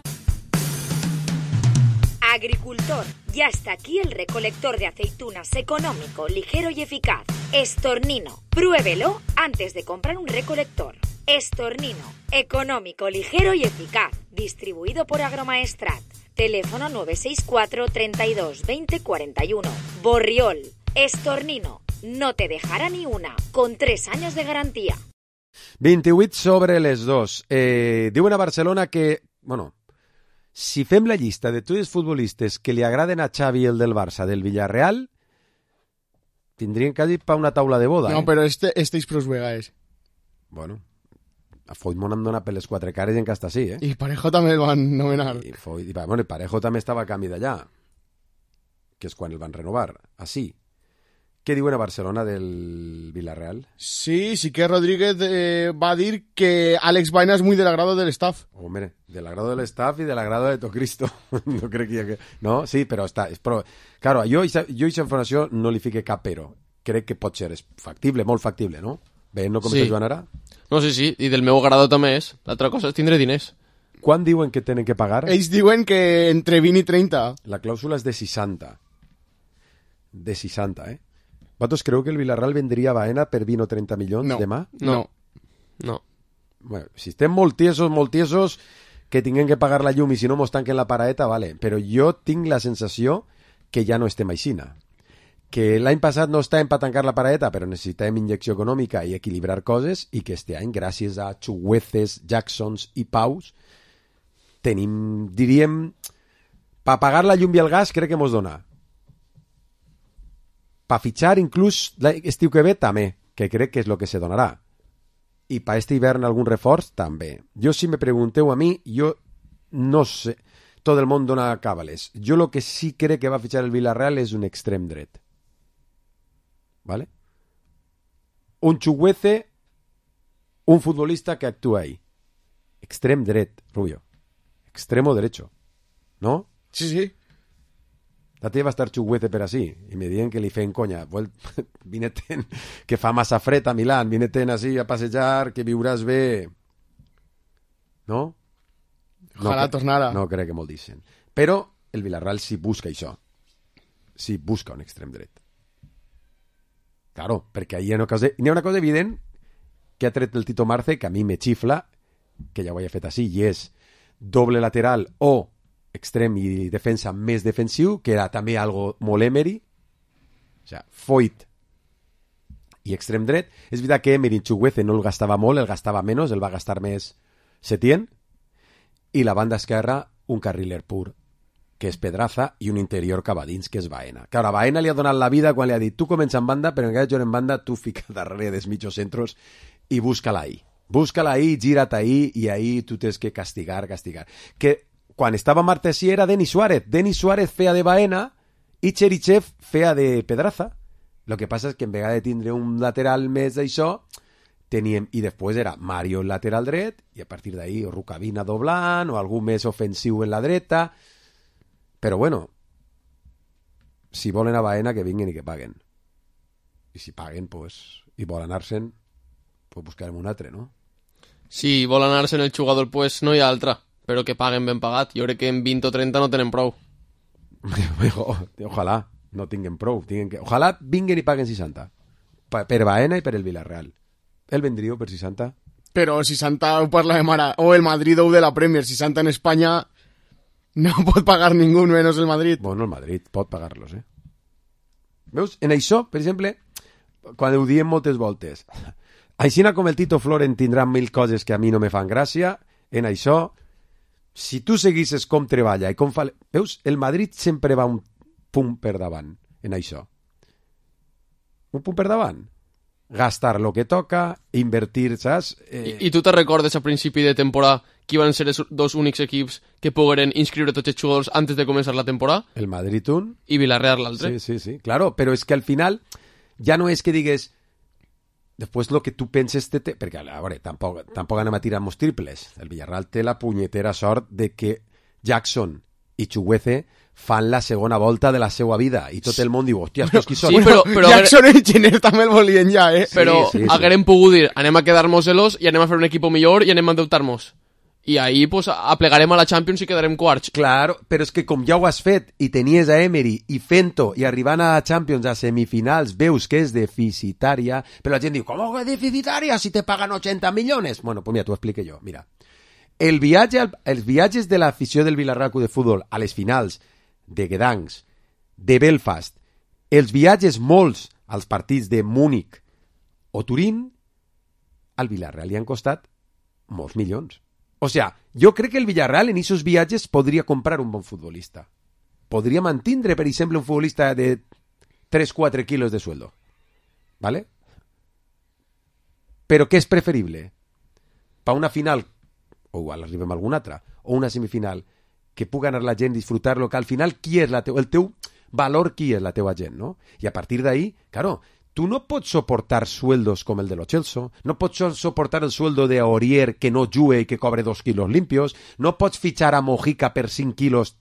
Agricultor, ya está aquí el recolector de aceitunas económico, ligero y eficaz. Estornino, pruébelo antes de comprar un recolector. Estornino, económico, ligero y eficaz. Distribuido por Agromaestrat. Teléfono nueve seis cuatro, treinta y dos, veinte, cuarenta y uno. Borriol, Estornino, no te dejará ni una, con tres años de garantía. vint-i-vuit sobre les dos. Eh, diuen a Barcelona que, bueno, si fem la llista de tots els futbolistes que li agraden a Xavi el del Barça del Villarreal, tindrien quasi pa una taula de boda. No, eh? però este, este és prou vegades. Bueno, a Foytmon em dona per les quatre cares i encara està així, eh? I Parejo també el van nomenar. I, Foy, i bueno, Parejo també estava a canvi d'allà, que és quan el van renovar, així. Què diuen a Barcelona del Villarreal? Sí, sí que Rodríguez eh, va dir que Alex Baena es muy del agrado del staff. Hombre, del agrado del staff y del agrado de Tocristo. No crec que... No, sí, però està... Però, claro, jo i aquesta informació no li fique cap però. Crec que pot ser, és factible, molt factible, no? Veient com sí. està jugant ara? No, sí, sí, i del meu agrado també és. L'altra cosa és tindre diners. Quan diuen que tenen que pagar? Ells diuen que entre vint i trenta. La clàusula és de seixanta. De seixanta, eh? ¿Vosaltres creu que el Villarreal vendria a Baena per vint o trenta milions no, demà? No, no. Bueno, si estem molt tiesos, molt tiesos, que tinguem que pagar la llum i si no mos tanquen la paraeta, vale. Però jo tinc la sensació que ja no estem aixina. Que l'any passat no estàvem per tancar la paraeta, però necessitàvem injecció econòmica i equilibrar coses, i que este any, gràcies a Chugueces, Jacksons i Paus, tenim, diríem, per pagar la llum i el gas crec que mos dona. Pa fitxar inclús l'estiu que ve també, que crec que és el que se donarà. I pa este hivern algun reforç també. Jo si me pregunteu a mi, jo no sé, tot el món dona càbales. Jo el que sí crec que va fitxar el Villarreal és un extrem dret. ¿Vale? Un Chuguece, un futbolista que actúa ahí. Extrem dret, Rubio. Extremo derecho. ¿No? Sí, sí. La teva va estar Chuguece per així, i me diuen que li feien conya. Vine-te'n, que fa massa fred a Milán, vine-te'n així a passejar, que viuràs bé. No? Ojalà no, tornara. No crec que molt dicen. Però el Villarreal sí busca això. Sí busca un extrem dret. Claro, perquè hi ha una cosa, hi ha una cosa evident que ha tret el Tito Marce, que a mi me xifla, que ja ho havia fet així, i és doble lateral o extrem i defensa més defensiu, que era també algo molt Emery, o sigui, Foyt i extrem dret. És veritat que Emery en Chukwueze no el gastava molt, el gastava menys, el va gastar més Setién, i la banda esquerra un carriler pur, que és Pedraza, i un interior cap a dins, que és Baena. Que ara Baena li ha donat la vida quan li ha dit tu comença en banda, però en cada jugar en banda tu fica darrere dels mitjos centros i busca-la ahí. Busca-la ahí, gira't ahí, i ahí tu tens que castigar, castigar. Que quan estava Martesí era Denis Suárez. Denis Suárez feia de Baena i Cherichev feia de Pedraza. Lo que passa és que en vegada de tindre un lateral més d'això, teníem, i després era Mario el lateral dret, i a partir d'ahí o Rukavina doblant, o algú més ofensiu en la dreta. Però bueno, si volen a Baena, que vinguen i que paguen. I si paguen, pues, i volen anar-se'n, pues buscarem un altre, no? Si vol anar-se'n el jugador, pues no hi ha altra, però que paguen ben pagat. Jo crec que en vint o trenta no tenen prou. Ojalà no tinguen prou. Tinguen que... Ojalà vinguen i paguen seixanta. Per Baena i per el Villarreal. El vendríeu per seixanta? Però seixanta ho parla de mare. O el Madrid o de la Premier. seixanta en Espanya no pot pagar ningú, menys el Madrid. Bueno, el Madrid pot pagar-los, eh? Veus? En això, per exemple, quan ho diem moltes voltes, aixina com el Tito Floren tindrà mil coses que a mi no me fan gràcia, en això, si tu seguisses com treballa i com fa... Veus? El Madrid sempre va un punt per davant, en això. Un punt per davant. Gastar lo que toca, invertir, saps? Eh... I, I tu te recordes a principi de temporada qui van ser els dos únics equips que pogueren inscriure tots els jugadors antes de començar la temporada? El Madrid un. I Villarreal l'altre. Sí, sí, sí, claro, però és que al final ja no és que digues després lo que tu penses te, te... perquè a veure, tampoc, tampoc anem a tirar molts triples. El Villarreal té la punyetera sort de que Jackson i Chukwueze fan la segona volta de la seva vida i tot el món diu, hòstia, estos qui són? Sí, però, però Jackson i Giner també el volien ja, eh? Però sí, sí, sí. haguérem pogut dir, anem a quedar-nos-los i anem a fer un equip millor i anem a endeutar-nos. I ahí pues, aplegarem a la Champions i quedarem quarts. Claro, però és que com ja ho has fet i tenies a Emery i fent-ho i arribant a la Champions a semifinals veus que és deficitària, però la gent diu, com que és deficitària si te pagan ochenta milions? Bueno, pues mira, t'ho explico jo. Mira, el viatge, els viatges de l'afició del Villarreal Club de Futbol a les finals de Gdansk, de Belfast, els viatges molts als partits de Múnich o Turín, al Villarreal li han costat molts milions. O sea, jo crec que el Villarreal en aquests viatges podria comprar un bon futbolista. Podria mantindre, per exemple, un futbolista de tres a quatre quilos de sueldo. ¿Vale? Però què és preferible? Per una final, o igual arribem a alguna altra, o una semifinal, que pugui anar la gent, disfrutar-lo, que al final qui és la teu, el teu valor, qui és la teua gent, no? I a partir d'ahí, claro, tú no pots soportar sueldos com el de Lo Celso, no pots soportar el sueldo de Aurier que no jugue i que cobre dos quilos limpios, no pots fitxar a Mojica per cinc quilos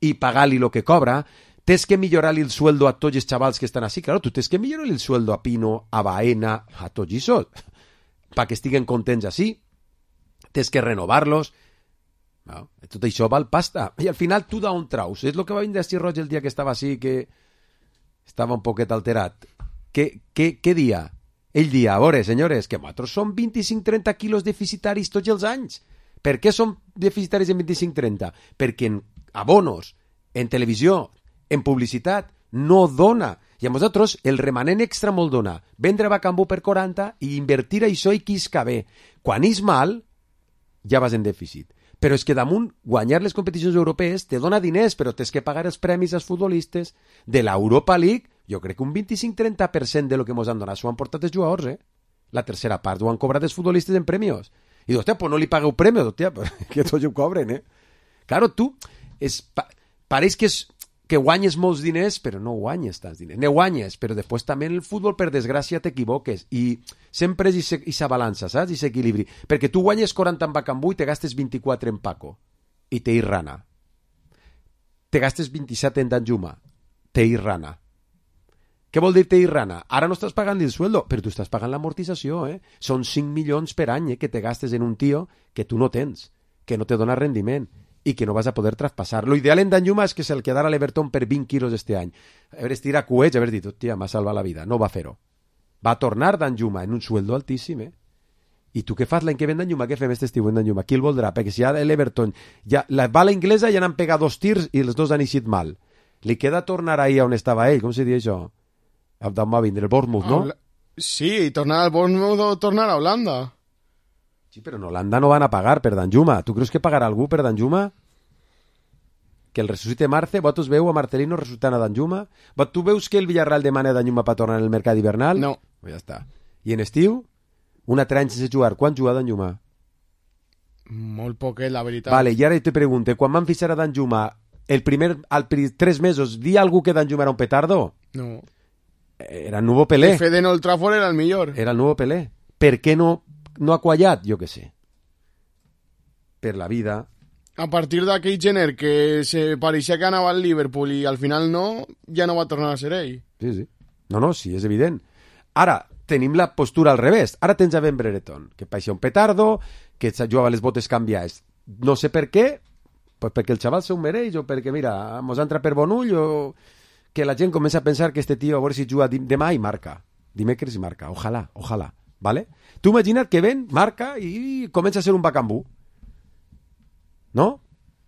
i pagar-li lo que cobra, tens que millorar-li el sueldo a tots els xavals que estan així, claro, tu tens que millorar el sueldo a Pino, a Baena, a tots això, perquè estiguen contents així, tens que renovar-los, no? Tot això val pasta, i al final tu d'on traus? És el que va vindre a Roig el dia que estava així, que estava un poquet alterat. Què, què, què dia? Ell dia, a veure, senyores, que nosaltres som vint-i-cinc a trenta quilos deficitaris tots els anys. Per què som deficitaris en vint-i-cinc a trenta? Perquè en abonos, en televisió, en publicitat, no dona. I a nosaltres el remanent extra molt dona. Vendre Bacambú per quaranta i invertir això i quisca bé. Quan és mal, ja vas en dèficit. Però és que damunt guanyar les competicions europees te dona diners, però tens que pagar els premis als futbolistes. De l'Europa League, jo crec que un vint-i-cinc a trenta per cent de lo que mos han donat s'ho han portat els jugadors, eh? La tercera part ho han cobrat els futbolistes en premios. I dius, hòstia, pues no li pagueu premios, hòstia, que tots ho cobren, eh? Claro, tu, és, pa, pareix que, és, que guanyes molts diners, però no guanyes tants diners. Ne guanyes, però després també en el futbol, per desgràcia, t'equivoques. I sempre és aquesta balança, saps? I s'equilibri. Perquè tu guanyes quaranta en Bacambú i te gastes vint-i-quatre en Paco. I te Rana. Te gastes vint-i-set en Danjuma. Te Rana. Què vol dir te Rana? Ara no estàs pagant el sueldo, però tu estàs pagant l'amortització, eh? Són cinc milions per any, eh, que te gastes en un tio que tu no tens, que no te dona rendiment i que no vas a poder traspassar. Lo ideal en Danjuma és que se'l quedara a l'Everton per vint quilos este any. Haver estirat cuets, haver dit, hòstia, m'ha salvat la vida. No va fer-ho. Va tornar Danjuma en un sueldo altíssim, eh? I tu què fas l'any que ve d'Enlluma? Què fem aquest estiu d'Enlluma? Qui el voldrà? Perquè si ja l'Everton, ja, la bala inglesa ja n'han pegat dos tirs i els dos han eixit mal. Li queda tornar ahí on estava ell, com se diu això? D'on va vindre, el Bournemouth, no? Sí, tornar al Bournemouth o tornar a Holanda. Sí, però en Holanda no van a pagar per Danjuma. Tu creus que pagarà algú per Danjuma? Que el ressuscite Marce? Vosaltres veu a Marcelino ressuscitant a Danjuma? Tu veus que el Villarreal demana a Danjuma per tornar en el mercat hivernal? No. Pues ja està. I en estiu? Un altre any sense jugar. Quan juga Danjuma? Molt poquet, la veritat. Vale, i ara te pregunte, quan van fixar a Danjuma el primer, al tres mesos, di algú que Danjuma era un petardo? No. Era el nuevo Pelé. El Fede en Old Trafford era el millor. Era el nuevo Pelé. Per què no, no ha quallat? Jo què sé. Per la vida. A partir d'aquell gener que se pareixia que anava al Liverpool i al final no, ja no va tornar a ser ell. Sí, sí. No, no, sí, és evident. Ara, tenim la postura al revés. Ara tens a Ben Brereton, que pareixia un petardo, que jugava les botes canviades. No sé per què, pues perquè el xaval se ho mereix, o perquè, mira, mos entra per bon ull, o que la gent comença a pensar que este tio, a veure si juga demà i marca. Dimecres i marca. Ojalà, ojalà. ¿Vale? Tu imagina't que ven, marca i comença a ser un bacambú. No?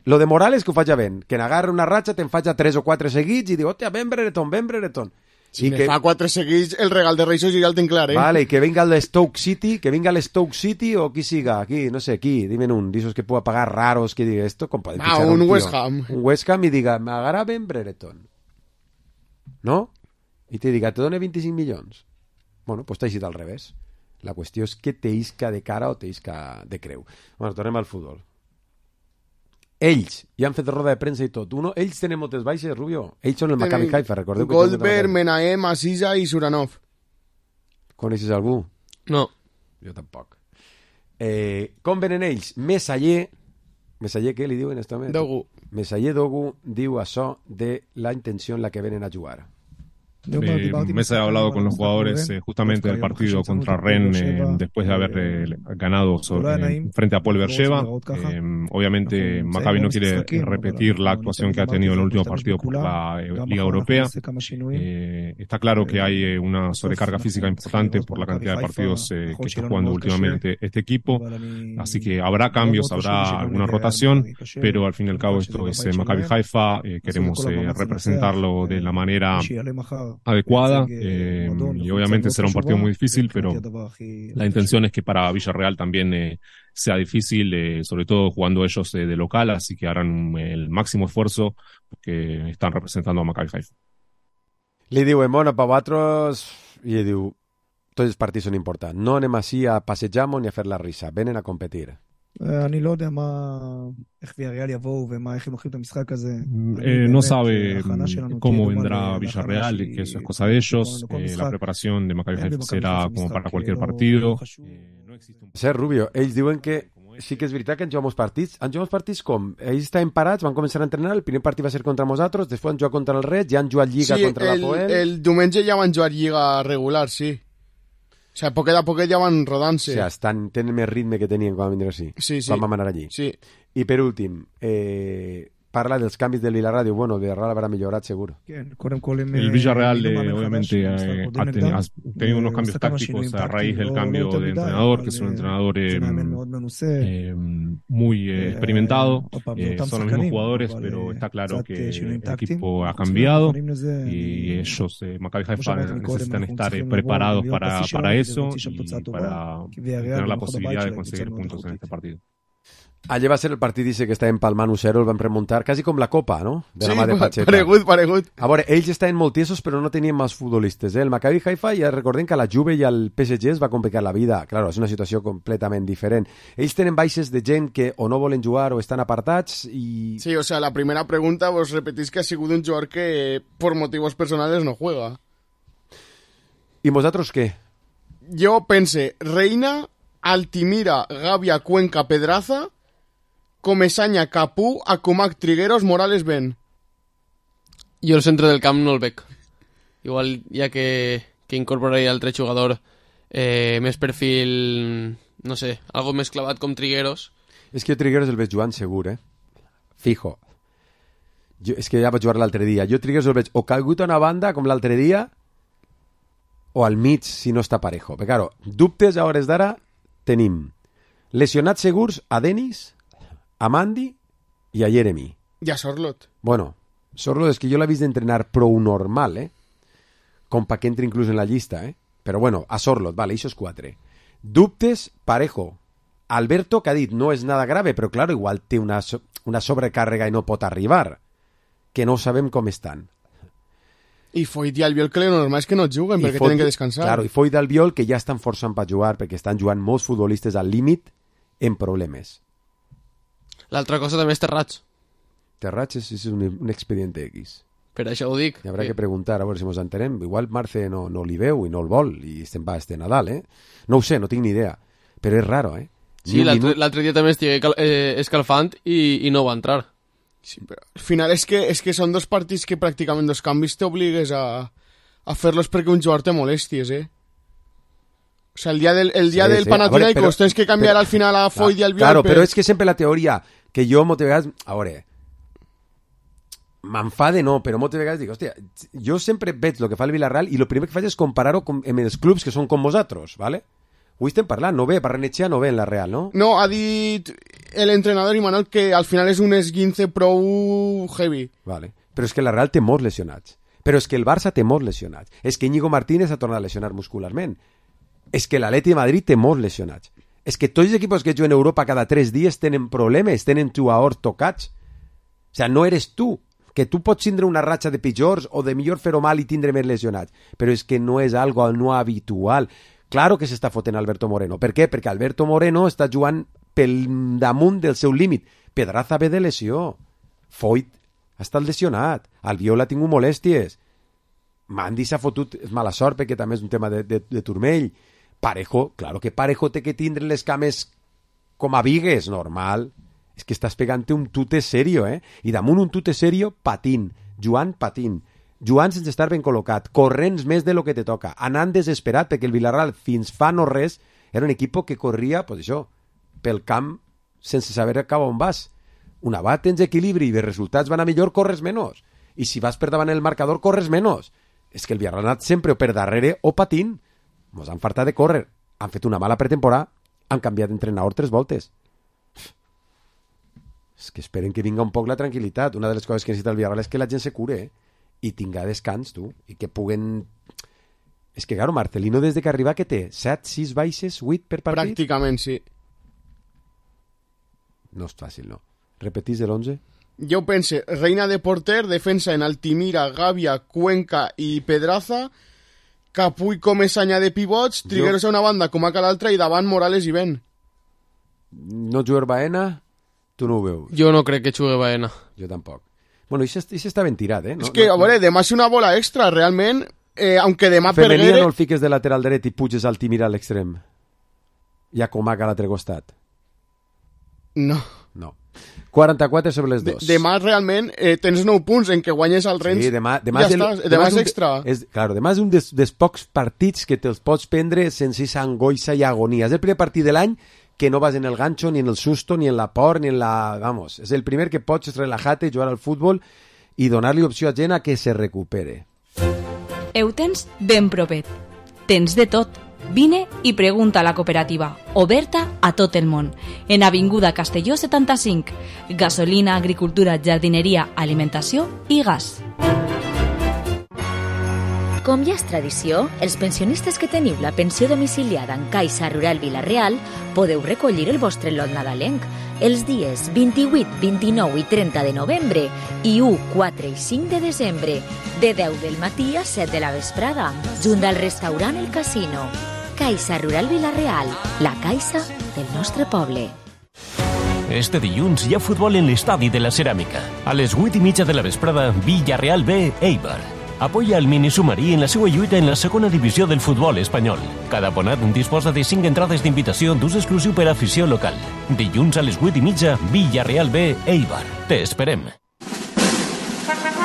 Lo de Morales que ho faig a Ben, que n'agarra una ratxa, te'n faig a tres o quatre seguits i diu, hòstia, Ben Brereton, Ben Brereton. Si me que... fa quatre seguits, el regal de Reis ja el ten clar, eh? Vale, i que venga el de Stoke City, que venga el Stoke City o qui siga, aquí, no sé, qui, dime un, disos que pueda pagar raros, que diga esto, com poden ah, un, un West Ham. Un West Ham i diga, m'agarra Ben Brereton. No? I te diga, te done vint-i-cinc milions. Bueno, pues t'ha eixit al revés. La qüestió és que t'isca de cara o t'isca de creu. Bueno, tornem al futbol. Ells, ja han fet roda de premsa i tot. Uno, ells tenen moltes baixes, Rubio. Ells són el Maccabi Haifa, recordeu que... Goldberg, Menahem, Asisa i Suranov. Coneixes algú? No. Jo tampoc. Eh, com venen ells? Messaller, Messaller què li diuen? Dogu. Messaller Dogu diu això de la intenció en la que venen a jugar. Eh, Mesa ha hablado con los jugadores eh, justamente del partido contra Rennes eh, después de haber eh, ganado sobre, eh, frente a Paul Bercheva. Eh, obviamente Maccabi no quiere repetir la actuación que ha tenido en el último partido por la eh, Liga Europea. Eh, está claro que hay eh, una sobrecarga física importante por la cantidad de partidos eh, que está jugando últimamente este equipo, así que habrá cambios, habrá alguna rotación, pero al fin y al cabo esto es eh, Maccabi Haifa. Eh, queremos eh, representarlo de la manera adecuada eh, y obviamente será un partido muy difícil, pero la intención es que para Villarreal también eh, sea difícil, eh, sobre todo jugando ellos eh, de local, así que harán el máximo esfuerzo porque están representando a Maccabi Haifa. Li diuen, bueno, per vosaltres, i ell diu, tots els partits són importants, no anem així a passejar-nos ni a fer la risa, venen a competir. אני לא יודע מה, איך ויאריאל יבואו ומה, איך הם הולכים את המשחק הזה. Eh, no sabe cómo vendrá Villarreal, que eso es cosa de ellos. Eh, la preparación de Maccabi Haifa será como para cualquier partido. Ser Rubio, ells diuen que sí que és veritat que han jugat molts partits. Han jugat partits com? Ells estaven parats, van començar a entrenar, el primer partit va ser contra nosaltres, després han jugat contra el Red, ja han jugat Lliga sí, contra el, la Poel. El diumenge ja van jugar Lliga regular, sí. O sea, poquet a poquet ja van rodant-se. O sea, estan, tenen més ritme que tenien quan van vindre així. Sí, sí. Quan vam anar allí. Sí. I per últim, eh, parla dels canvis del Villarreal, diu, bueno, Villarreal habrá millorat seguro. El Villarreal eh, obviamente eh, ha, tenido, ha tenido unos cambios tácticos a raíz del cambio de entrenador, que es un entrenador eh, eh, muy eh, experimentado. Eh, son los mismos jugadores, pero está claro que el equipo ha cambiado y ellos, eh, Maccabi Haifa, necesitan estar eh, preparados para, para eso y para tener la posibilidad de conseguir puntos en este partido. Allà va ser el partit dice que estaven palmant u zero, el van remuntar, quasi com la Copa, no? De la sí, mà de Pacheta. paregut, paregut. A veure, ells estaven molt tiesos, però no tenien més futbolistes. Eh? El Maccabi Haifa, ja recordem que a la Juve i al P S G es va complicar la vida. Claro, és una situació completament diferent. Ells tenen baixes de gent que o no volen jugar o estan apartats i... Sí, o sea, la primera pregunta vos repetís que ha sigut un jugador que por motivos personales no juega. I vosaltres què? Jo pense, Reina, Altimira, Gàbia, Cuenca, Pedraza... Comesaña, Capú, Akumak, Trigueros, Morales, Ben. Jo el centre del camp no el veig. Igual ja que, que incorporaria altre jugador eh, més perfil, no sé, algo més clavat com Trigueros. És que jo Trigueros el veig jugant segur, eh? Fijo. Jo, és que ja vaig jugar l'altre dia. Jo Trigueros el veig o calgut a una banda com l'altre dia o al mig si no està parejo. Però claro, dubtes a hores d'ara tenim lesionats segurs a Denis, a Mandy i a Jeremy. I a Sorlot. Bueno, Sorlot és que jo l'he vist d'entrenar prou normal, eh? Com pa que entri inclús en la llista, eh? Però bueno, a Sorlot, vale, això és quatre. Dubtes, Parejo. Alberto, que ha dit, no és nada grave, però claro, igual té una, so una sobrecàrrega i no pot arribar. Que no sabem com estan. I Foyt i Albiol, que lo normal és que no juguen, I perquè Foyt, tenen que descansar. Claro, i Foyt i Albiol, que ja estan forçant per jugar, perquè estan jugant molts futbolistes al límit en problemes. L'altra cosa també és Terrats. Terrats és, és un, un expediente X. Per això ho dic. Hi haurà que, que preguntar, a veure si ens entenem. Igual Marce no, no li veu i no el vol, i estem va este Nadal, eh? No ho sé, no tinc ni idea. Però és raro, eh? Sí, l'altre minut... dia també estigué cal, eh, escalfant i, i no va entrar. Sí, però al final és que, és que són dos partits que pràcticament dos canvis t'obligues a, a fer-los perquè un jugador te molesties, eh? O sea, el dia del, el dia sí, del sí. Panathinaikos tens que canviar però, al final a Foyt i Albiol. Claro, per... però és que sempre la teoria que jo moltes vegades... A veure, m'enfade no, però moltes vegades dic, hòstia, jo sempre veig el que fa el Villarreal i el primer que faig és comparar-ho amb els clubs que són com vosaltres, ¿vale? Avui estem parlant, no ve, Barrenetxea no ve en la Real, no? No, ha dit l'entrenador Imanol que al final és un esguince prou heavy. Vale, però és que la Real té molts lesionats. Però és que el Barça té molts lesionats. És que Íñigo Martínez ha tornat a lesionar muscularment. És que l'Atleti de Madrid té molts lesionats. És que tots els equips que juguen a Europa cada tres dies tenen problemes, tenen jugadors tocats. O sea, no eres tu. Que tu pots tindre una ratxa de pitjors o de millor fer-ho mal i tindre més lesionats. Però és que no és algo no habitual. Claro que s'està fotent Alberto Moreno. Per què? Perquè Alberto Moreno està jugant pel damunt del seu límit. Pedraza ve de lesió. Foyt ha estat lesionat. Albiol ha tingut molèsties. Mandy s'ha fotut mala sort perquè també és un tema de, de, de turmell. Parejo, claro que Parejo té que tindre les cames com a vigues, normal. És que estàs pegant-te un tute serio, eh? I damunt un tute serio, patint. Joan patint. Joan sense estar ben col·locat, corrents més de lo que te toca, anant desesperat, perquè el Villarreal fins fa no res era un equip que corria, pues això, pel camp sense saber cap on vas. Una va tens equilibri i de resultats van a millor, corres menys. I si vas per davant el marcador, corres menys. És que el Villarreal ha anat sempre o per darrere o patint. Mos han fartat de córrer. Han fet una mala pretemporada, han canviat d'entrenador tres voltes. És que esperen que vinga un poc la tranquil·litat. Una de les coses que necessita el Villarreal és que la gent se cure, eh? I tinga descans, tu, i que puguen... És que, claro, Marcelino, des de que arriba, que té? set, sis baixes, vuit per partit? Pràcticament, sí. No és fàcil, no. Repetís l'onze? Jo pense, Reina de porter, defensa en Altimira, Gàbia, Cuenca i Pedraza, Capuy com Esanya de pivots, Trigueros jo... a una banda com a l'altra i davant Morales i Ben. No jugar Baena? Tu no ho veus? Jo no crec que jugui Baena. Jo tampoc. Bueno, i s'està ben tirat, eh? No, és que, no, a veure, demà és una bola extra, realment, eh, aunque demà Femenina perguere... no el fiques de lateral dret i puges al Timira a l'extrem. I a Comac a l'altre costat. No. No. quaranta-quatre sobre les dos. De, demà, realment, eh, tens nou punts en què guanyes el Rennes. Sí, demà, demà ja és, el, estàs, demà és extra. És, claro, demà és un dels, dels pocs partits que te'ls pots prendre sense angoixa i agonia. És el primer partit de l'any que no vas en el gancho, ni en el susto, ni en la por, ni en la... Vamos, és el primer que pots relajar-te, jugar al futbol i donar-li opció a gent a que se recupere. Ho tens ben propet. Tens de tot. Vine i pregunta a la cooperativa, oberta a tot el món. En Avinguda Castelló setanta-cinc. Gasolina, agricultura, jardineria, alimentació i gas. Com ja és tradició, els pensionistes que teniu la pensió domiciliada en Caixa Rural Vila-real podeu recollir el vostre lot nadalenc els dies vint-i-vuit, vint-i-nou i trenta de novembre i u, quatre i cinc de desembre, de deu del matí a set de la vesprada, junt al restaurant El Casino. Caixa Rural Vila-real, la caixa del nostre poble. Este dilluns hi ha futbol en l'estadi de la Ceràmica. A les vuit i mitja de la vesprada, Villarreal B, Eibar. Apoya el mini submarí en la seva lluita en la segona divisió del futbol espanyol. Cada abonat disposa de cinc entrades d'invitació d'ús exclusiu per a afició local. Dilluns a les vuit i mitja, Villarreal B, Eibar. Te esperem.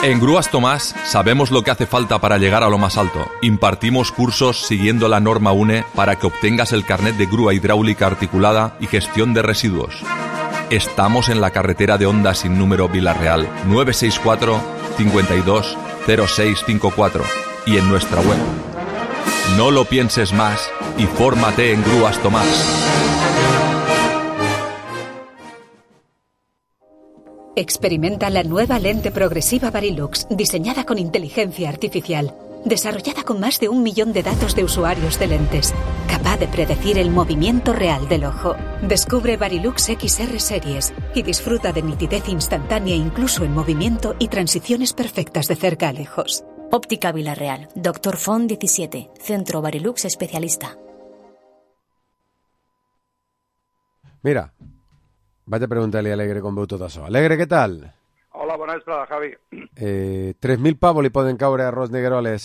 En Grúas Tomás sabemos lo que hace falta para llegar a lo más alto. Impartimos cursos siguiendo la norma U N E para que obtengas el carnet de grúa hidráulica articulada y gestión de residuos. Estamos en la carretera de Honda sin número Vila-real nueve seis cuatro, cinco dos, cero seis cinco cuatro y en nuestra web. No lo pienses más y fórmate en Grúas Tomás. Experimenta la nueva lente progresiva Varilux, diseñada con inteligencia artificial, desarrollada con más de un millón de datos de usuarios de lentes, capaz de predecir el movimiento real del ojo. Descubre Varilux X R Series y disfruta de nitidez instantánea incluso en movimiento y transiciones perfectas de cerca a lejos. Óptica Vilarreal, Doctor Font diecisiete, Centro Varilux Especialista. Mira, vaig a preguntar-li a Alegre com veu tot això. Alegre, què tal? Hola, bona vesprada, Javi. Eh, tres mil pavos li poden caure a Ros Negreroles.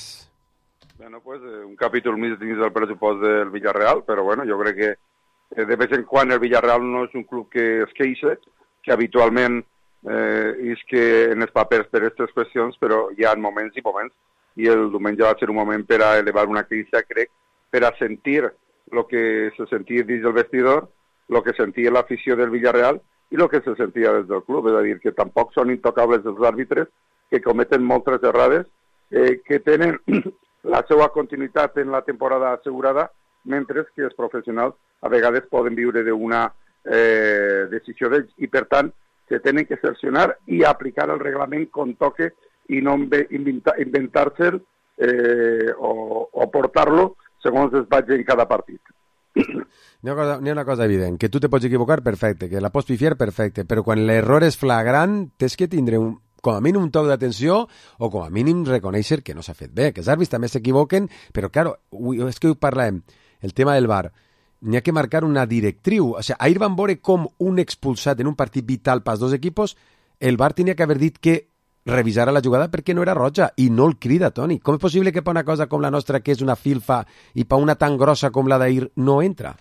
Bueno, pues eh, un capítol més dins del pressupost del Villarreal, però bueno, jo crec que eh, de vez en quan el Villarreal no és un club que es queixa, que habitualment eh, és que en els papers per aquestes qüestions, però hi ha moments i moments, i el diumenge va ser un moment per a elevar una queixa, crec, per a sentir el que se sentia dins del vestidor, el que sentia l'afició del Villarreal i el que se sentia des del club, és a dir, que tampoc són intocables els àrbitres, que cometen moltes errades, eh, que tenen la seva continuïtat en la temporada assegurada, mentre que els professionals a vegades poden viure d'una eh, decisió d'ells i, per tant, se tenen que sancionar i aplicar el reglament com toque i no inventar-se'l eh, o, o portar-lo segons es vagi en cada partit. N'hi ha, cosa, n'hi ha una cosa evident, que tu te pots equivocar, perfecte, que la pots pifiar, perfecte, però quan l'error és flagrant, tens que tindre un, com a mínim un toc d'atenció o com a mínim reconèixer que no s'ha fet bé, que els àrbits també s'equivoquen, però, claro, és que ho parlem, el tema del V A R, n'hi ha que marcar una directriu. O sigui, ahir van veure com un expulsat en un partit vital pels dos equipos, el V A R tenia que haver dit que revisara la jugada perquè no era roja i no el crida, Toni. Com és possible que per una cosa com la nostra, que és una filfa, i per una tan grossa com la d'ahir, no entra?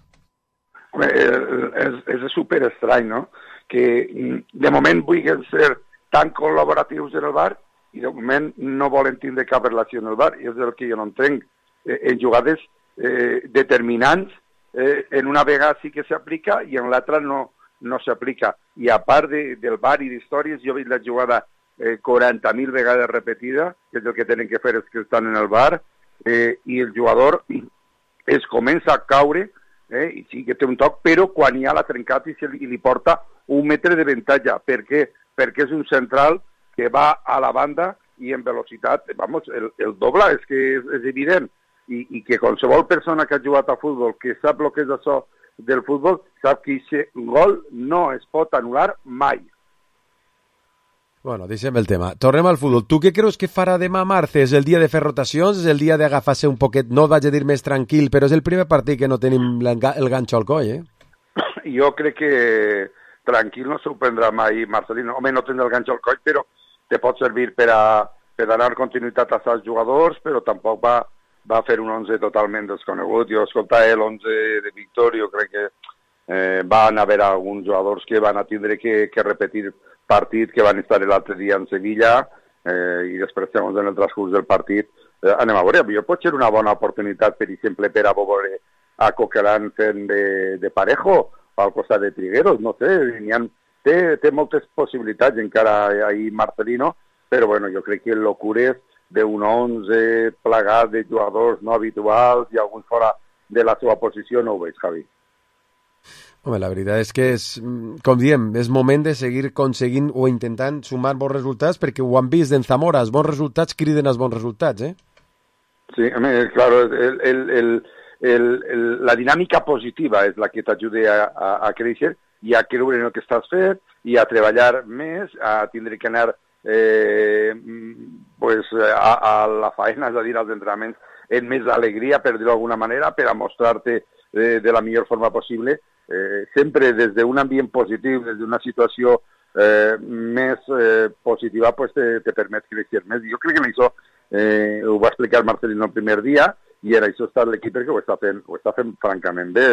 Home, és, és super estrany, no? Que de moment vulguin ser tan col·laboratius en el V A R i de moment no volen tindre cap relació amb el V A R, i és el que jo no entenc. Eh, en jugades eh, determinants, eh, en una vegada sí que s'aplica i en l'altra no, no s'aplica. I a part de, del V A R i d'històries, jo he vist la jugada eh, quaranta mil vegades repetida, que és el que tenen que fer els que estan en el V A R, eh, i el jugador es comença a caure, eh, i sí que té un toc, però quan hi ha la trencat i, se li, i li porta un metre de ventatge. Per què? Perquè és un central que va a la banda i en velocitat, vamos, el, el doble, és que és, és evident, I, i que qualsevol persona que ha jugat a futbol, que sap el que és això del futbol, sap que aquest gol no es pot anul·lar mai. Bueno, deixem el tema. Tornem al futbol. Tu què creus que farà demà Marce? És el dia de fer rotacions? És el dia d'agafar-se un poquet, no vaig a dir més tranquil, però és el primer partit que no tenim el ganxo al coll, eh? Jo crec que tranquil no s'ho prendrà mai Marcelino. Home, no tindrà el ganxo al coll, però te pot servir per a, per a donar continuïtat als jugadors, però tampoc va, va fer un onze totalment desconegut. Jo escolta, l'onze de Víctor, jo crec que eh, van haver alguns jugadors que van a tindre que, que repetir partit, que van estar l'altre dia en Sevilla, eh, i després, segons en el transcurs del partit, eh, anem a veure. Jo pot ser una bona oportunitat, per exemple, per a veure a Coquelin fent de, de Parejo, al costat de Trigueros, no sé, ha, té, té moltes possibilitats encara ahir Marcelino, però bueno, jo crec que locures d'un onze plagat de jugadors no habituals i alguns fora de la seva posició no ho veig, Javi. Home, la veritat és que, és, com diem, és moment de seguir aconseguint o intentant sumar bons resultats, perquè ho han vist en Zamora, els bons resultats criden els bons resultats, eh? Sí, home, claro, el, el, el, el, el, la dinàmica positiva és la que t'ajuda a, a, a créixer i a creure en el que estàs fent i a treballar més, a tindre que anar eh, pues, a, a la faena, és a dir, als entrenaments, en més alegria, per dir-ho d'alguna manera, per a mostrar-te de, de la millor forma possible, eh, sempre des d'un ambient positiu, des d'una situació eh, més eh, positiva, pues te, te permet créixer més. Jo crec que en això eh, ho va explicar Marcelino el primer dia, i en això està l'equip perquè ho està fent, ho està fent francament bé.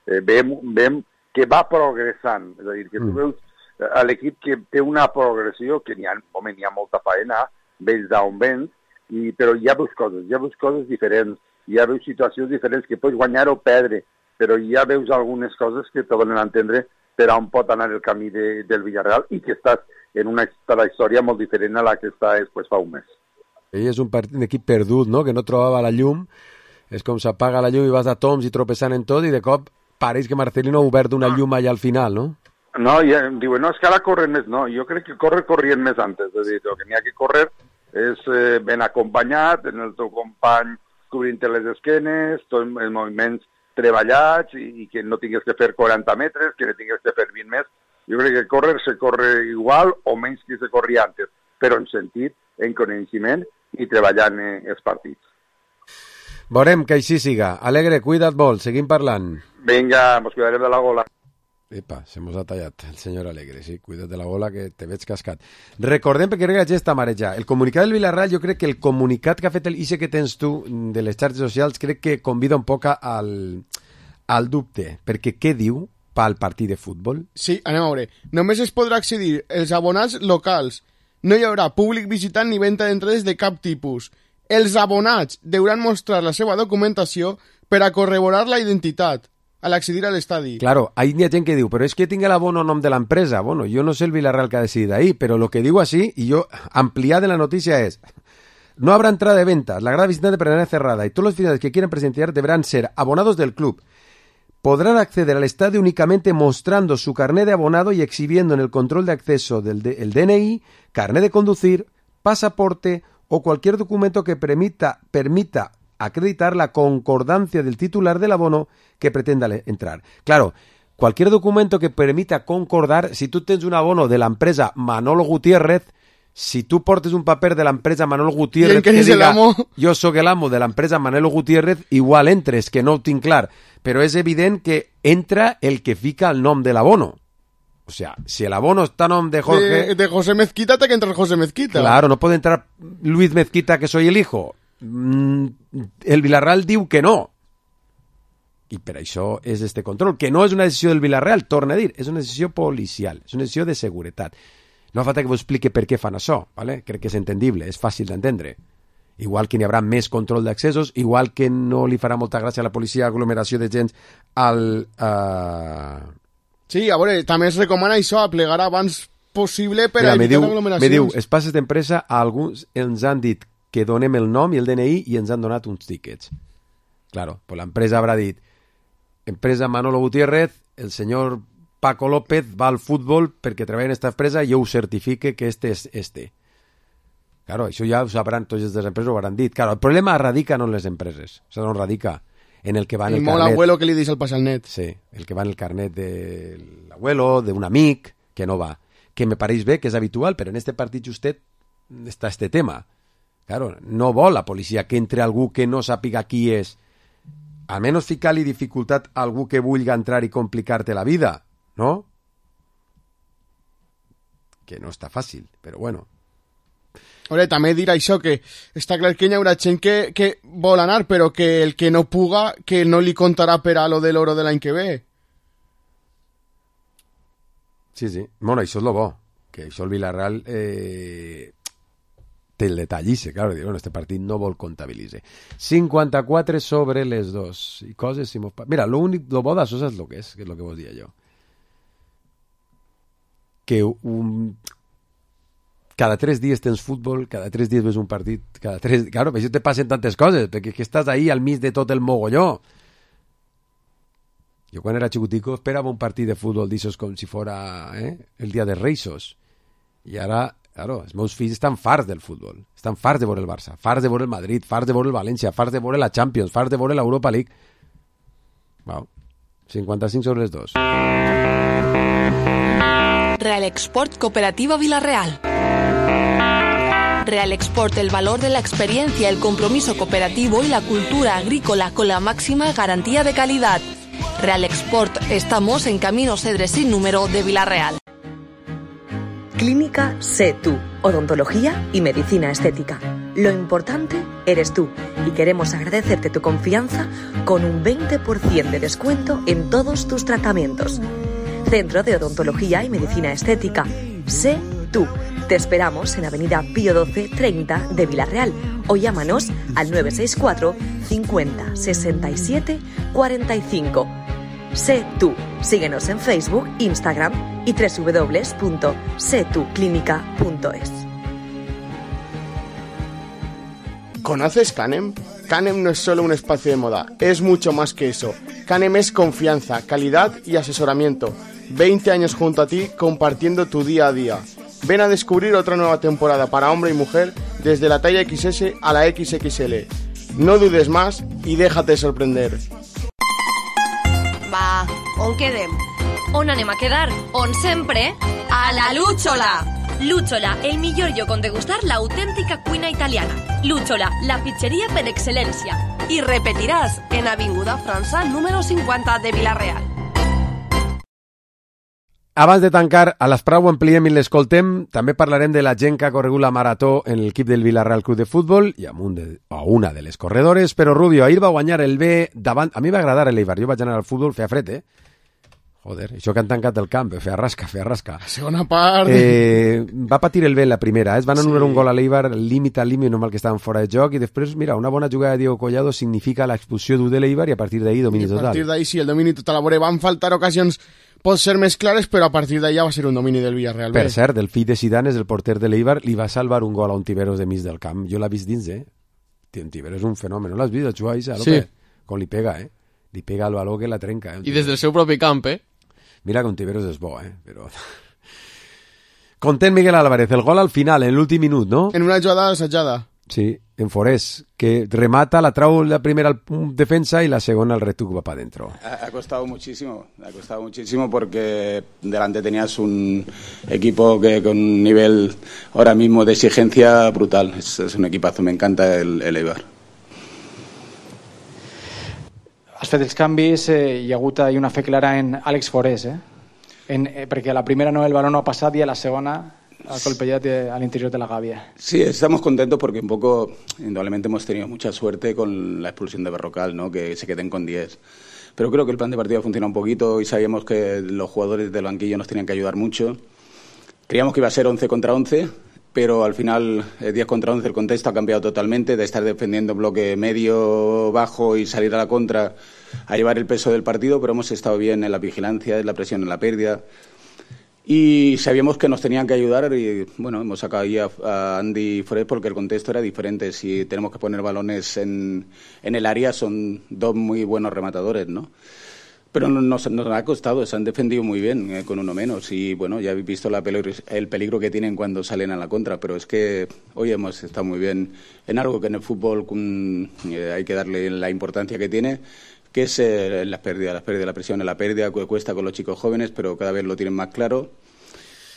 Eh, veiem, veiem que va progressant, és a dir, que tu veus a l'equip que té una progressió, que n'hi ha, home, n'hi ha molta faena, vells d'on vens, i, però ja veus coses, ja veus coses diferents, ja veus situacions diferents que pots guanyar o perdre, però ja veus algunes coses que te donen a entendre per on pot anar el camí de, del Villarreal i que estàs en una trajectòria molt diferent a la que està després fa un mes. Ell és un, part, un equip perdut, no?, que no trobava la llum, és com s'apaga la llum i vas a toms i tropezant en tot i de cop pareix que Marcelino ha obert una llum allà al final, no? No, i diuen, no, és que ara corren més. No, jo crec que corre corrien més antes. És a dir, el que n'hi ha que córrer és eh, ben acompanyat, en el teu company cobrint-te les esquenes, tots els moviments treballats i, i que no tingues que fer quaranta metres, que no tingues que fer vint més. Jo crec que córrer se corre igual o menys que se corria antes, però en sentit, en coneixement i treballant eh, els partits. Veurem que així siga. Alegre, cuida't molt, seguim parlant. Vinga, mos cuidarem de la gola. Epa, se mos ha tallat el senyor Alegre, sí, cuida't de la gola que te veig cascat. Recordem, perquè crec que la gent està marejada, el comunicat del Villarreal, jo crec que el comunicat que ha fet el I C que tens tu de les xarxes socials, crec que convida un poc al, al dubte, perquè què diu pel partit de futbol? Sí, anem a veure. Només es podrà accedir els abonats locals. No hi haurà públic visitant ni venda d'entrades de cap tipus. Els abonats deuran mostrar la seva documentació per a corroborar la identitat al accedir a l'estadi. Claro, hay ha gent que diu, però és que tinc l'abono nom de l'empresa. Bueno, jo no sé el Villarreal que ha decidit ahí, però lo que digo así, y yo ampliada en la noticia es, no habrá entrada de ventas, la grada visitante permanece cerrada y todos los aficionados que quieran presenciar deberán ser abonados del club. Podrán acceder al estadio únicamente mostrando su carnet de abonado y exhibiendo en el control de acceso del de, el D N I, carnet de conducir, pasaporte o cualquier documento que permita, permita acreditar la concordancia del titular del abono que pretenda entrar. Claro, cualquier documento que permita concordar, si tú tienes un abono de la empresa Manolo Gutiérrez, si tú portes un paper de la empresa Manolo Gutiérrez que diga, yo soy el amo de la empresa Manolo Gutiérrez, igual entres, que no ho tinc clar, pero es evidente que entra el que fica el nom del abono. O sea, si el abono está a nom de Jorge... De, de José Mezquita, te que entrar José Mezquita. Claro, no puede entrar Luis Mezquita, que soy el hijo. El Villarreal diu que no. I per això és este control, que no és una decisió del Villarreal, torna a dir, és una decisió policial, és una decisió de seguretat. No fa falta que vos explique per què fan això, ¿vale? Crec que és entendible, és fàcil d'entendre. Igual que n'hi haurà més control d'accessos, igual que no li farà molta gràcia a la policia aglomeració de gent al... Uh... Sí, a veure, també es recomana això, a plegar abans possible per Mira, a evitar diu, aglomeracions. Me diu, els passes d'empresa, a alguns ens han dit que donem el nom i el D N I i ens han donat uns tíquets. Claro, pues l'empresa habrà dit, empresa Manolo Gutiérrez, el senyor Paco López va al fútbol perquè treballa en esta empresa i jo ho certifique que este és este. Claro, això ja ho sabran tots les empreses, ho hauran dit. Claro, el problema radica no en les empreses, o sigui, no radica en el que va en el, el carnet. El abuelo que li dius al pas al net. Sí, el que va en el carnet de l'abuelo, d'un amic, que no va. Que me pareix bé, que és habitual, però en este partit justet està este tema. Claro, no vol la policia que entre algú que no sàpiga qui és. Almenys ficar-li dificultat a algú que vulgui entrar i complicar-te la vida, no? Que no està fàcil, però bueno. Ore, també dir això, que està clar que hi haurà gent que, que vol anar, però que el que no puga, que no li contarà per a lo de l'oro de l'any que ve. Sí, sí. Bueno, això és lo bo, que això el Villarreal eh, té el detall, i claro, bueno, este partit no vol comptabilitzar. cinquanta-quatre sobre les dos. I coses... Si mos... Mira, lo, únic, lo bo d'això és lo que és, que és lo que vos dia jo. Que un... cada tres dies tens futbol, cada tres dies ves un partit, cada tres... Claro, per això te passen tantes coses, perquè que estàs ahí al mig de tot el mogolló. Jo quan era xicutico esperava un partit de futbol d'aixòs com si fora eh, el dia de Reisos. I ara, claro, els meus fills estan farts del futbol, estan farts de veure el Barça, farts de veure el Madrid, farts de veure el València, farts de veure la Champions, farts de veure l'Europa League. Wow. cinquanta-cinc sobre les dos. Real Export Cooperativa Villarreal. Real Export, el valor de la experiencia, el compromiso cooperativo y la cultura agrícola con la máxima garantía de calidad. Real Export, estamos en Camino Cedres sin número de Villarreal. Clínica Sé Tú, odontología y medicina estética. Lo importante eres tú y queremos agradecerte tu confianza con un veinte por ciento de descuento en todos tus tratamientos. Centro de Odontología y Medicina Estética. Sé Tú. Te esperamos en Avenida Pío doce treinta de Villarreal o llámanos al nueve seis cuatro cincuenta sesenta y siete cuarenta y cinco. Sé Tú. Síguenos en Facebook, Instagram y doble u doble u doble u punto sé tú clínica punto es. ¿Conoces Canem? Canem no es solo un espacio de moda, es mucho más que eso. Canem es confianza, calidad y asesoramiento. veinte años junto a ti, compartiendo tu día a día. Ven a descubrir otra nueva temporada para hombre y mujer, desde la talla equis ese a la equis equis ele. No dudes más y déjate sorprender. Va, on quedem? On anem a quedar? On sempre? A la Lúchola! Lúchola, el millor lloc on degustar l'autèntica cuina italiana. Lúchola, la pizzeria per excel·lència. I repetiràs en Avinguda França número cinquanta de Vila-real. Abans de tancar, a l'Esprau ho ampliem i l'escoltem. També parlarem de la gent que ha corregut la marató en l'equip del Vila-real Club de Futbol i amb un de, o una de les corredores. Però Rubio, ahir va guanyar el B davant... A mi va agradar l'Eibar. Jo vaig anar al futbol, feia fred, eh? Joder, això que han tancat el camp, feia rasca, feia rasca. La segona part... Eh, va patir el B en la primera, eh? Es van anul·lar sí. un gol a l'Eibar, límit al límit, normal que estaven fora de joc, i després, mira, una bona jugada de Diego Collado significa l'expulsió d'un de l'Eibar i a partir d'ahir domini total. I a partir d'ahir sí, el domini total. A veure, van faltar ocasions, pot ser més clares, però a partir d'ahir ja va ser un domini del Villarreal. Per cert, el fill de Zidane és el porter de l'Eibar, li va salvar un gol a Ontiveros de mig del camp. Jo l'he vist dins, eh? Ontiveros és un fenomen, no l'has vist, el jugar a sí. Com li pega, eh? Li pega al baló que la trenca, eh? I des del seu propi camp, eh? Mira que Ontiveros és bo, eh? Però... Content Miguel Álvarez, el gol al final, en l'últim minut, ¿no? En una jugada assetjada. Sí, en Forés, que remata, la trau la primera al defensa y la segunda al retuc va para adentro. Ha, ha costado muchísimo, ha costado muchísimo porque delante tenías un equipo que con un nivel ahora mismo de exigencia brutal. Es, es un equipazo, me encanta el, el Eibar. Has fet els canvis, eh, hi ha hagut ahí una fe clara en Àlex Forés, eh? En, eh, perquè a la primera no el balón no ha passat i a la segona ha colpejat al interior de la gàbia. Sí, estamos contentos porque un poco, indudablemente hemos tenido mucha suerte con la expulsión de Berrocal, ¿no? Que se queden con diez. Pero creo que el plan de partido ha funcionado un poquito y sabíamos que los jugadores del banquillo nos tenían que ayudar mucho. Creíamos que iba a ser once contra once, pero al final eh, diez contra once el contexto ha cambiado totalmente, de estar defendiendo bloque medio, bajo y salir a la contra a llevar el peso del partido, pero hemos estado bien en la vigilancia, en la presión, en la pérdida. Y sabíamos que nos tenían que ayudar y, bueno, hemos sacado ahí a, a Andy Forés porque el contexto era diferente. Si tenemos que poner balones en, en el área, son dos muy buenos rematadores, ¿no? Pero nos, nos ha costado, se han defendido muy bien eh, con uno menos y, bueno, ya habéis visto la peligro, el peligro que tienen cuando salen a la contra, pero es que hoy hemos estado muy bien en algo que en el fútbol um, eh, hay que darle la importancia que tiene, que es eh, las pérdidas, las pérdidas, la presión en la pérdida, que cuesta con los chicos jóvenes, pero cada vez lo tienen más claro.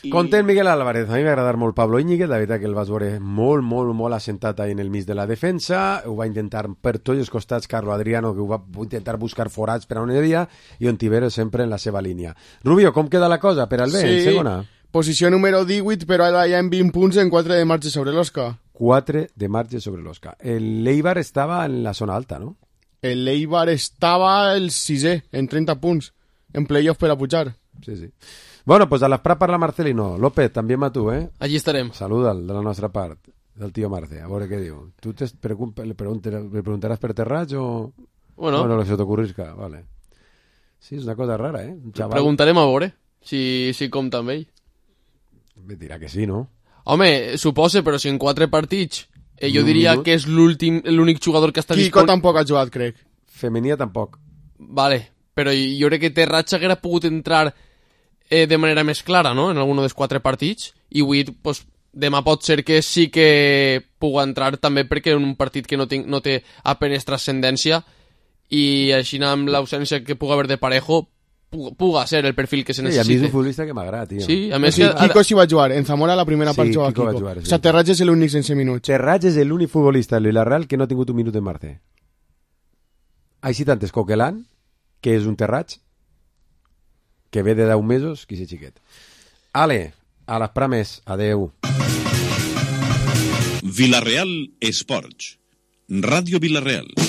I... Content Miguel Álvarez, a mi m'ha agradat molt Pablo Íñiguez, la veritat que el vas veure molt, molt, molt assentat ahí en el mig de la defensa, ho va intentar per tots els costats Carlo Adriano, que ho va intentar buscar forats per on hi havia, i Ontiveros sempre en la seva línia. Rubio, com queda la cosa per al B, sí, en segona? Posició número divuit, però ara ja en vint punts en quatre de marge sobre l'Osca. quatre de marge sobre l'Osca. El Eibar estava en la zona alta, no? El Eibar estava el sisè, en trenta punts, en playoff per a pujar. Sí, sí. Bueno, pues a l'Esprà parla Marcelino. López, també a tu, eh? Allí estarem. Saluda'l de la nostra part, del tio Marce, a veure què diu. Tu te le preguntaràs per Terrats o... Bueno. Bueno, se t'ocorrisca, vale. Sí, és una cosa rara, eh? Un xaval... Preguntarem a veure si, si compta amb ell. Me dirà que sí, no? Home, suposa, però si en quatre partits eh, jo diria que és l'últim, l'únic jugador que està disponible... Quico tampoc ha jugat, crec. Femenia tampoc. Vale, però jo crec que Terrats haguera pogut entrar... Eh, de manera més clara, no?, en algun dels quatre partits, i avui, pues, demà pot ser que sí que pugui entrar també perquè en un partit que no, tinc, no té apenes transcendència i així amb l'ausència que pugui haver de Parejo puga ser el perfil que se necessita. Sí, a mi és un futbolista que m'agrada, tio. Sí, a més... Sí, que... Quico sí va jugar, en Zamora la primera sí, part juga Quico. Quico. Va jugar, sí. O sea, Terrats és l'únic sense minuts. Terrats és l'únic futbolista del Villarreal que no ha tingut un minut en Marce. Així tant és Coquelin, que és un Terrats, que ve de deu mesos, qui sé xiquet. Ale, a les prames, adeu. Villarreal Esports, Ràdio Villarreal.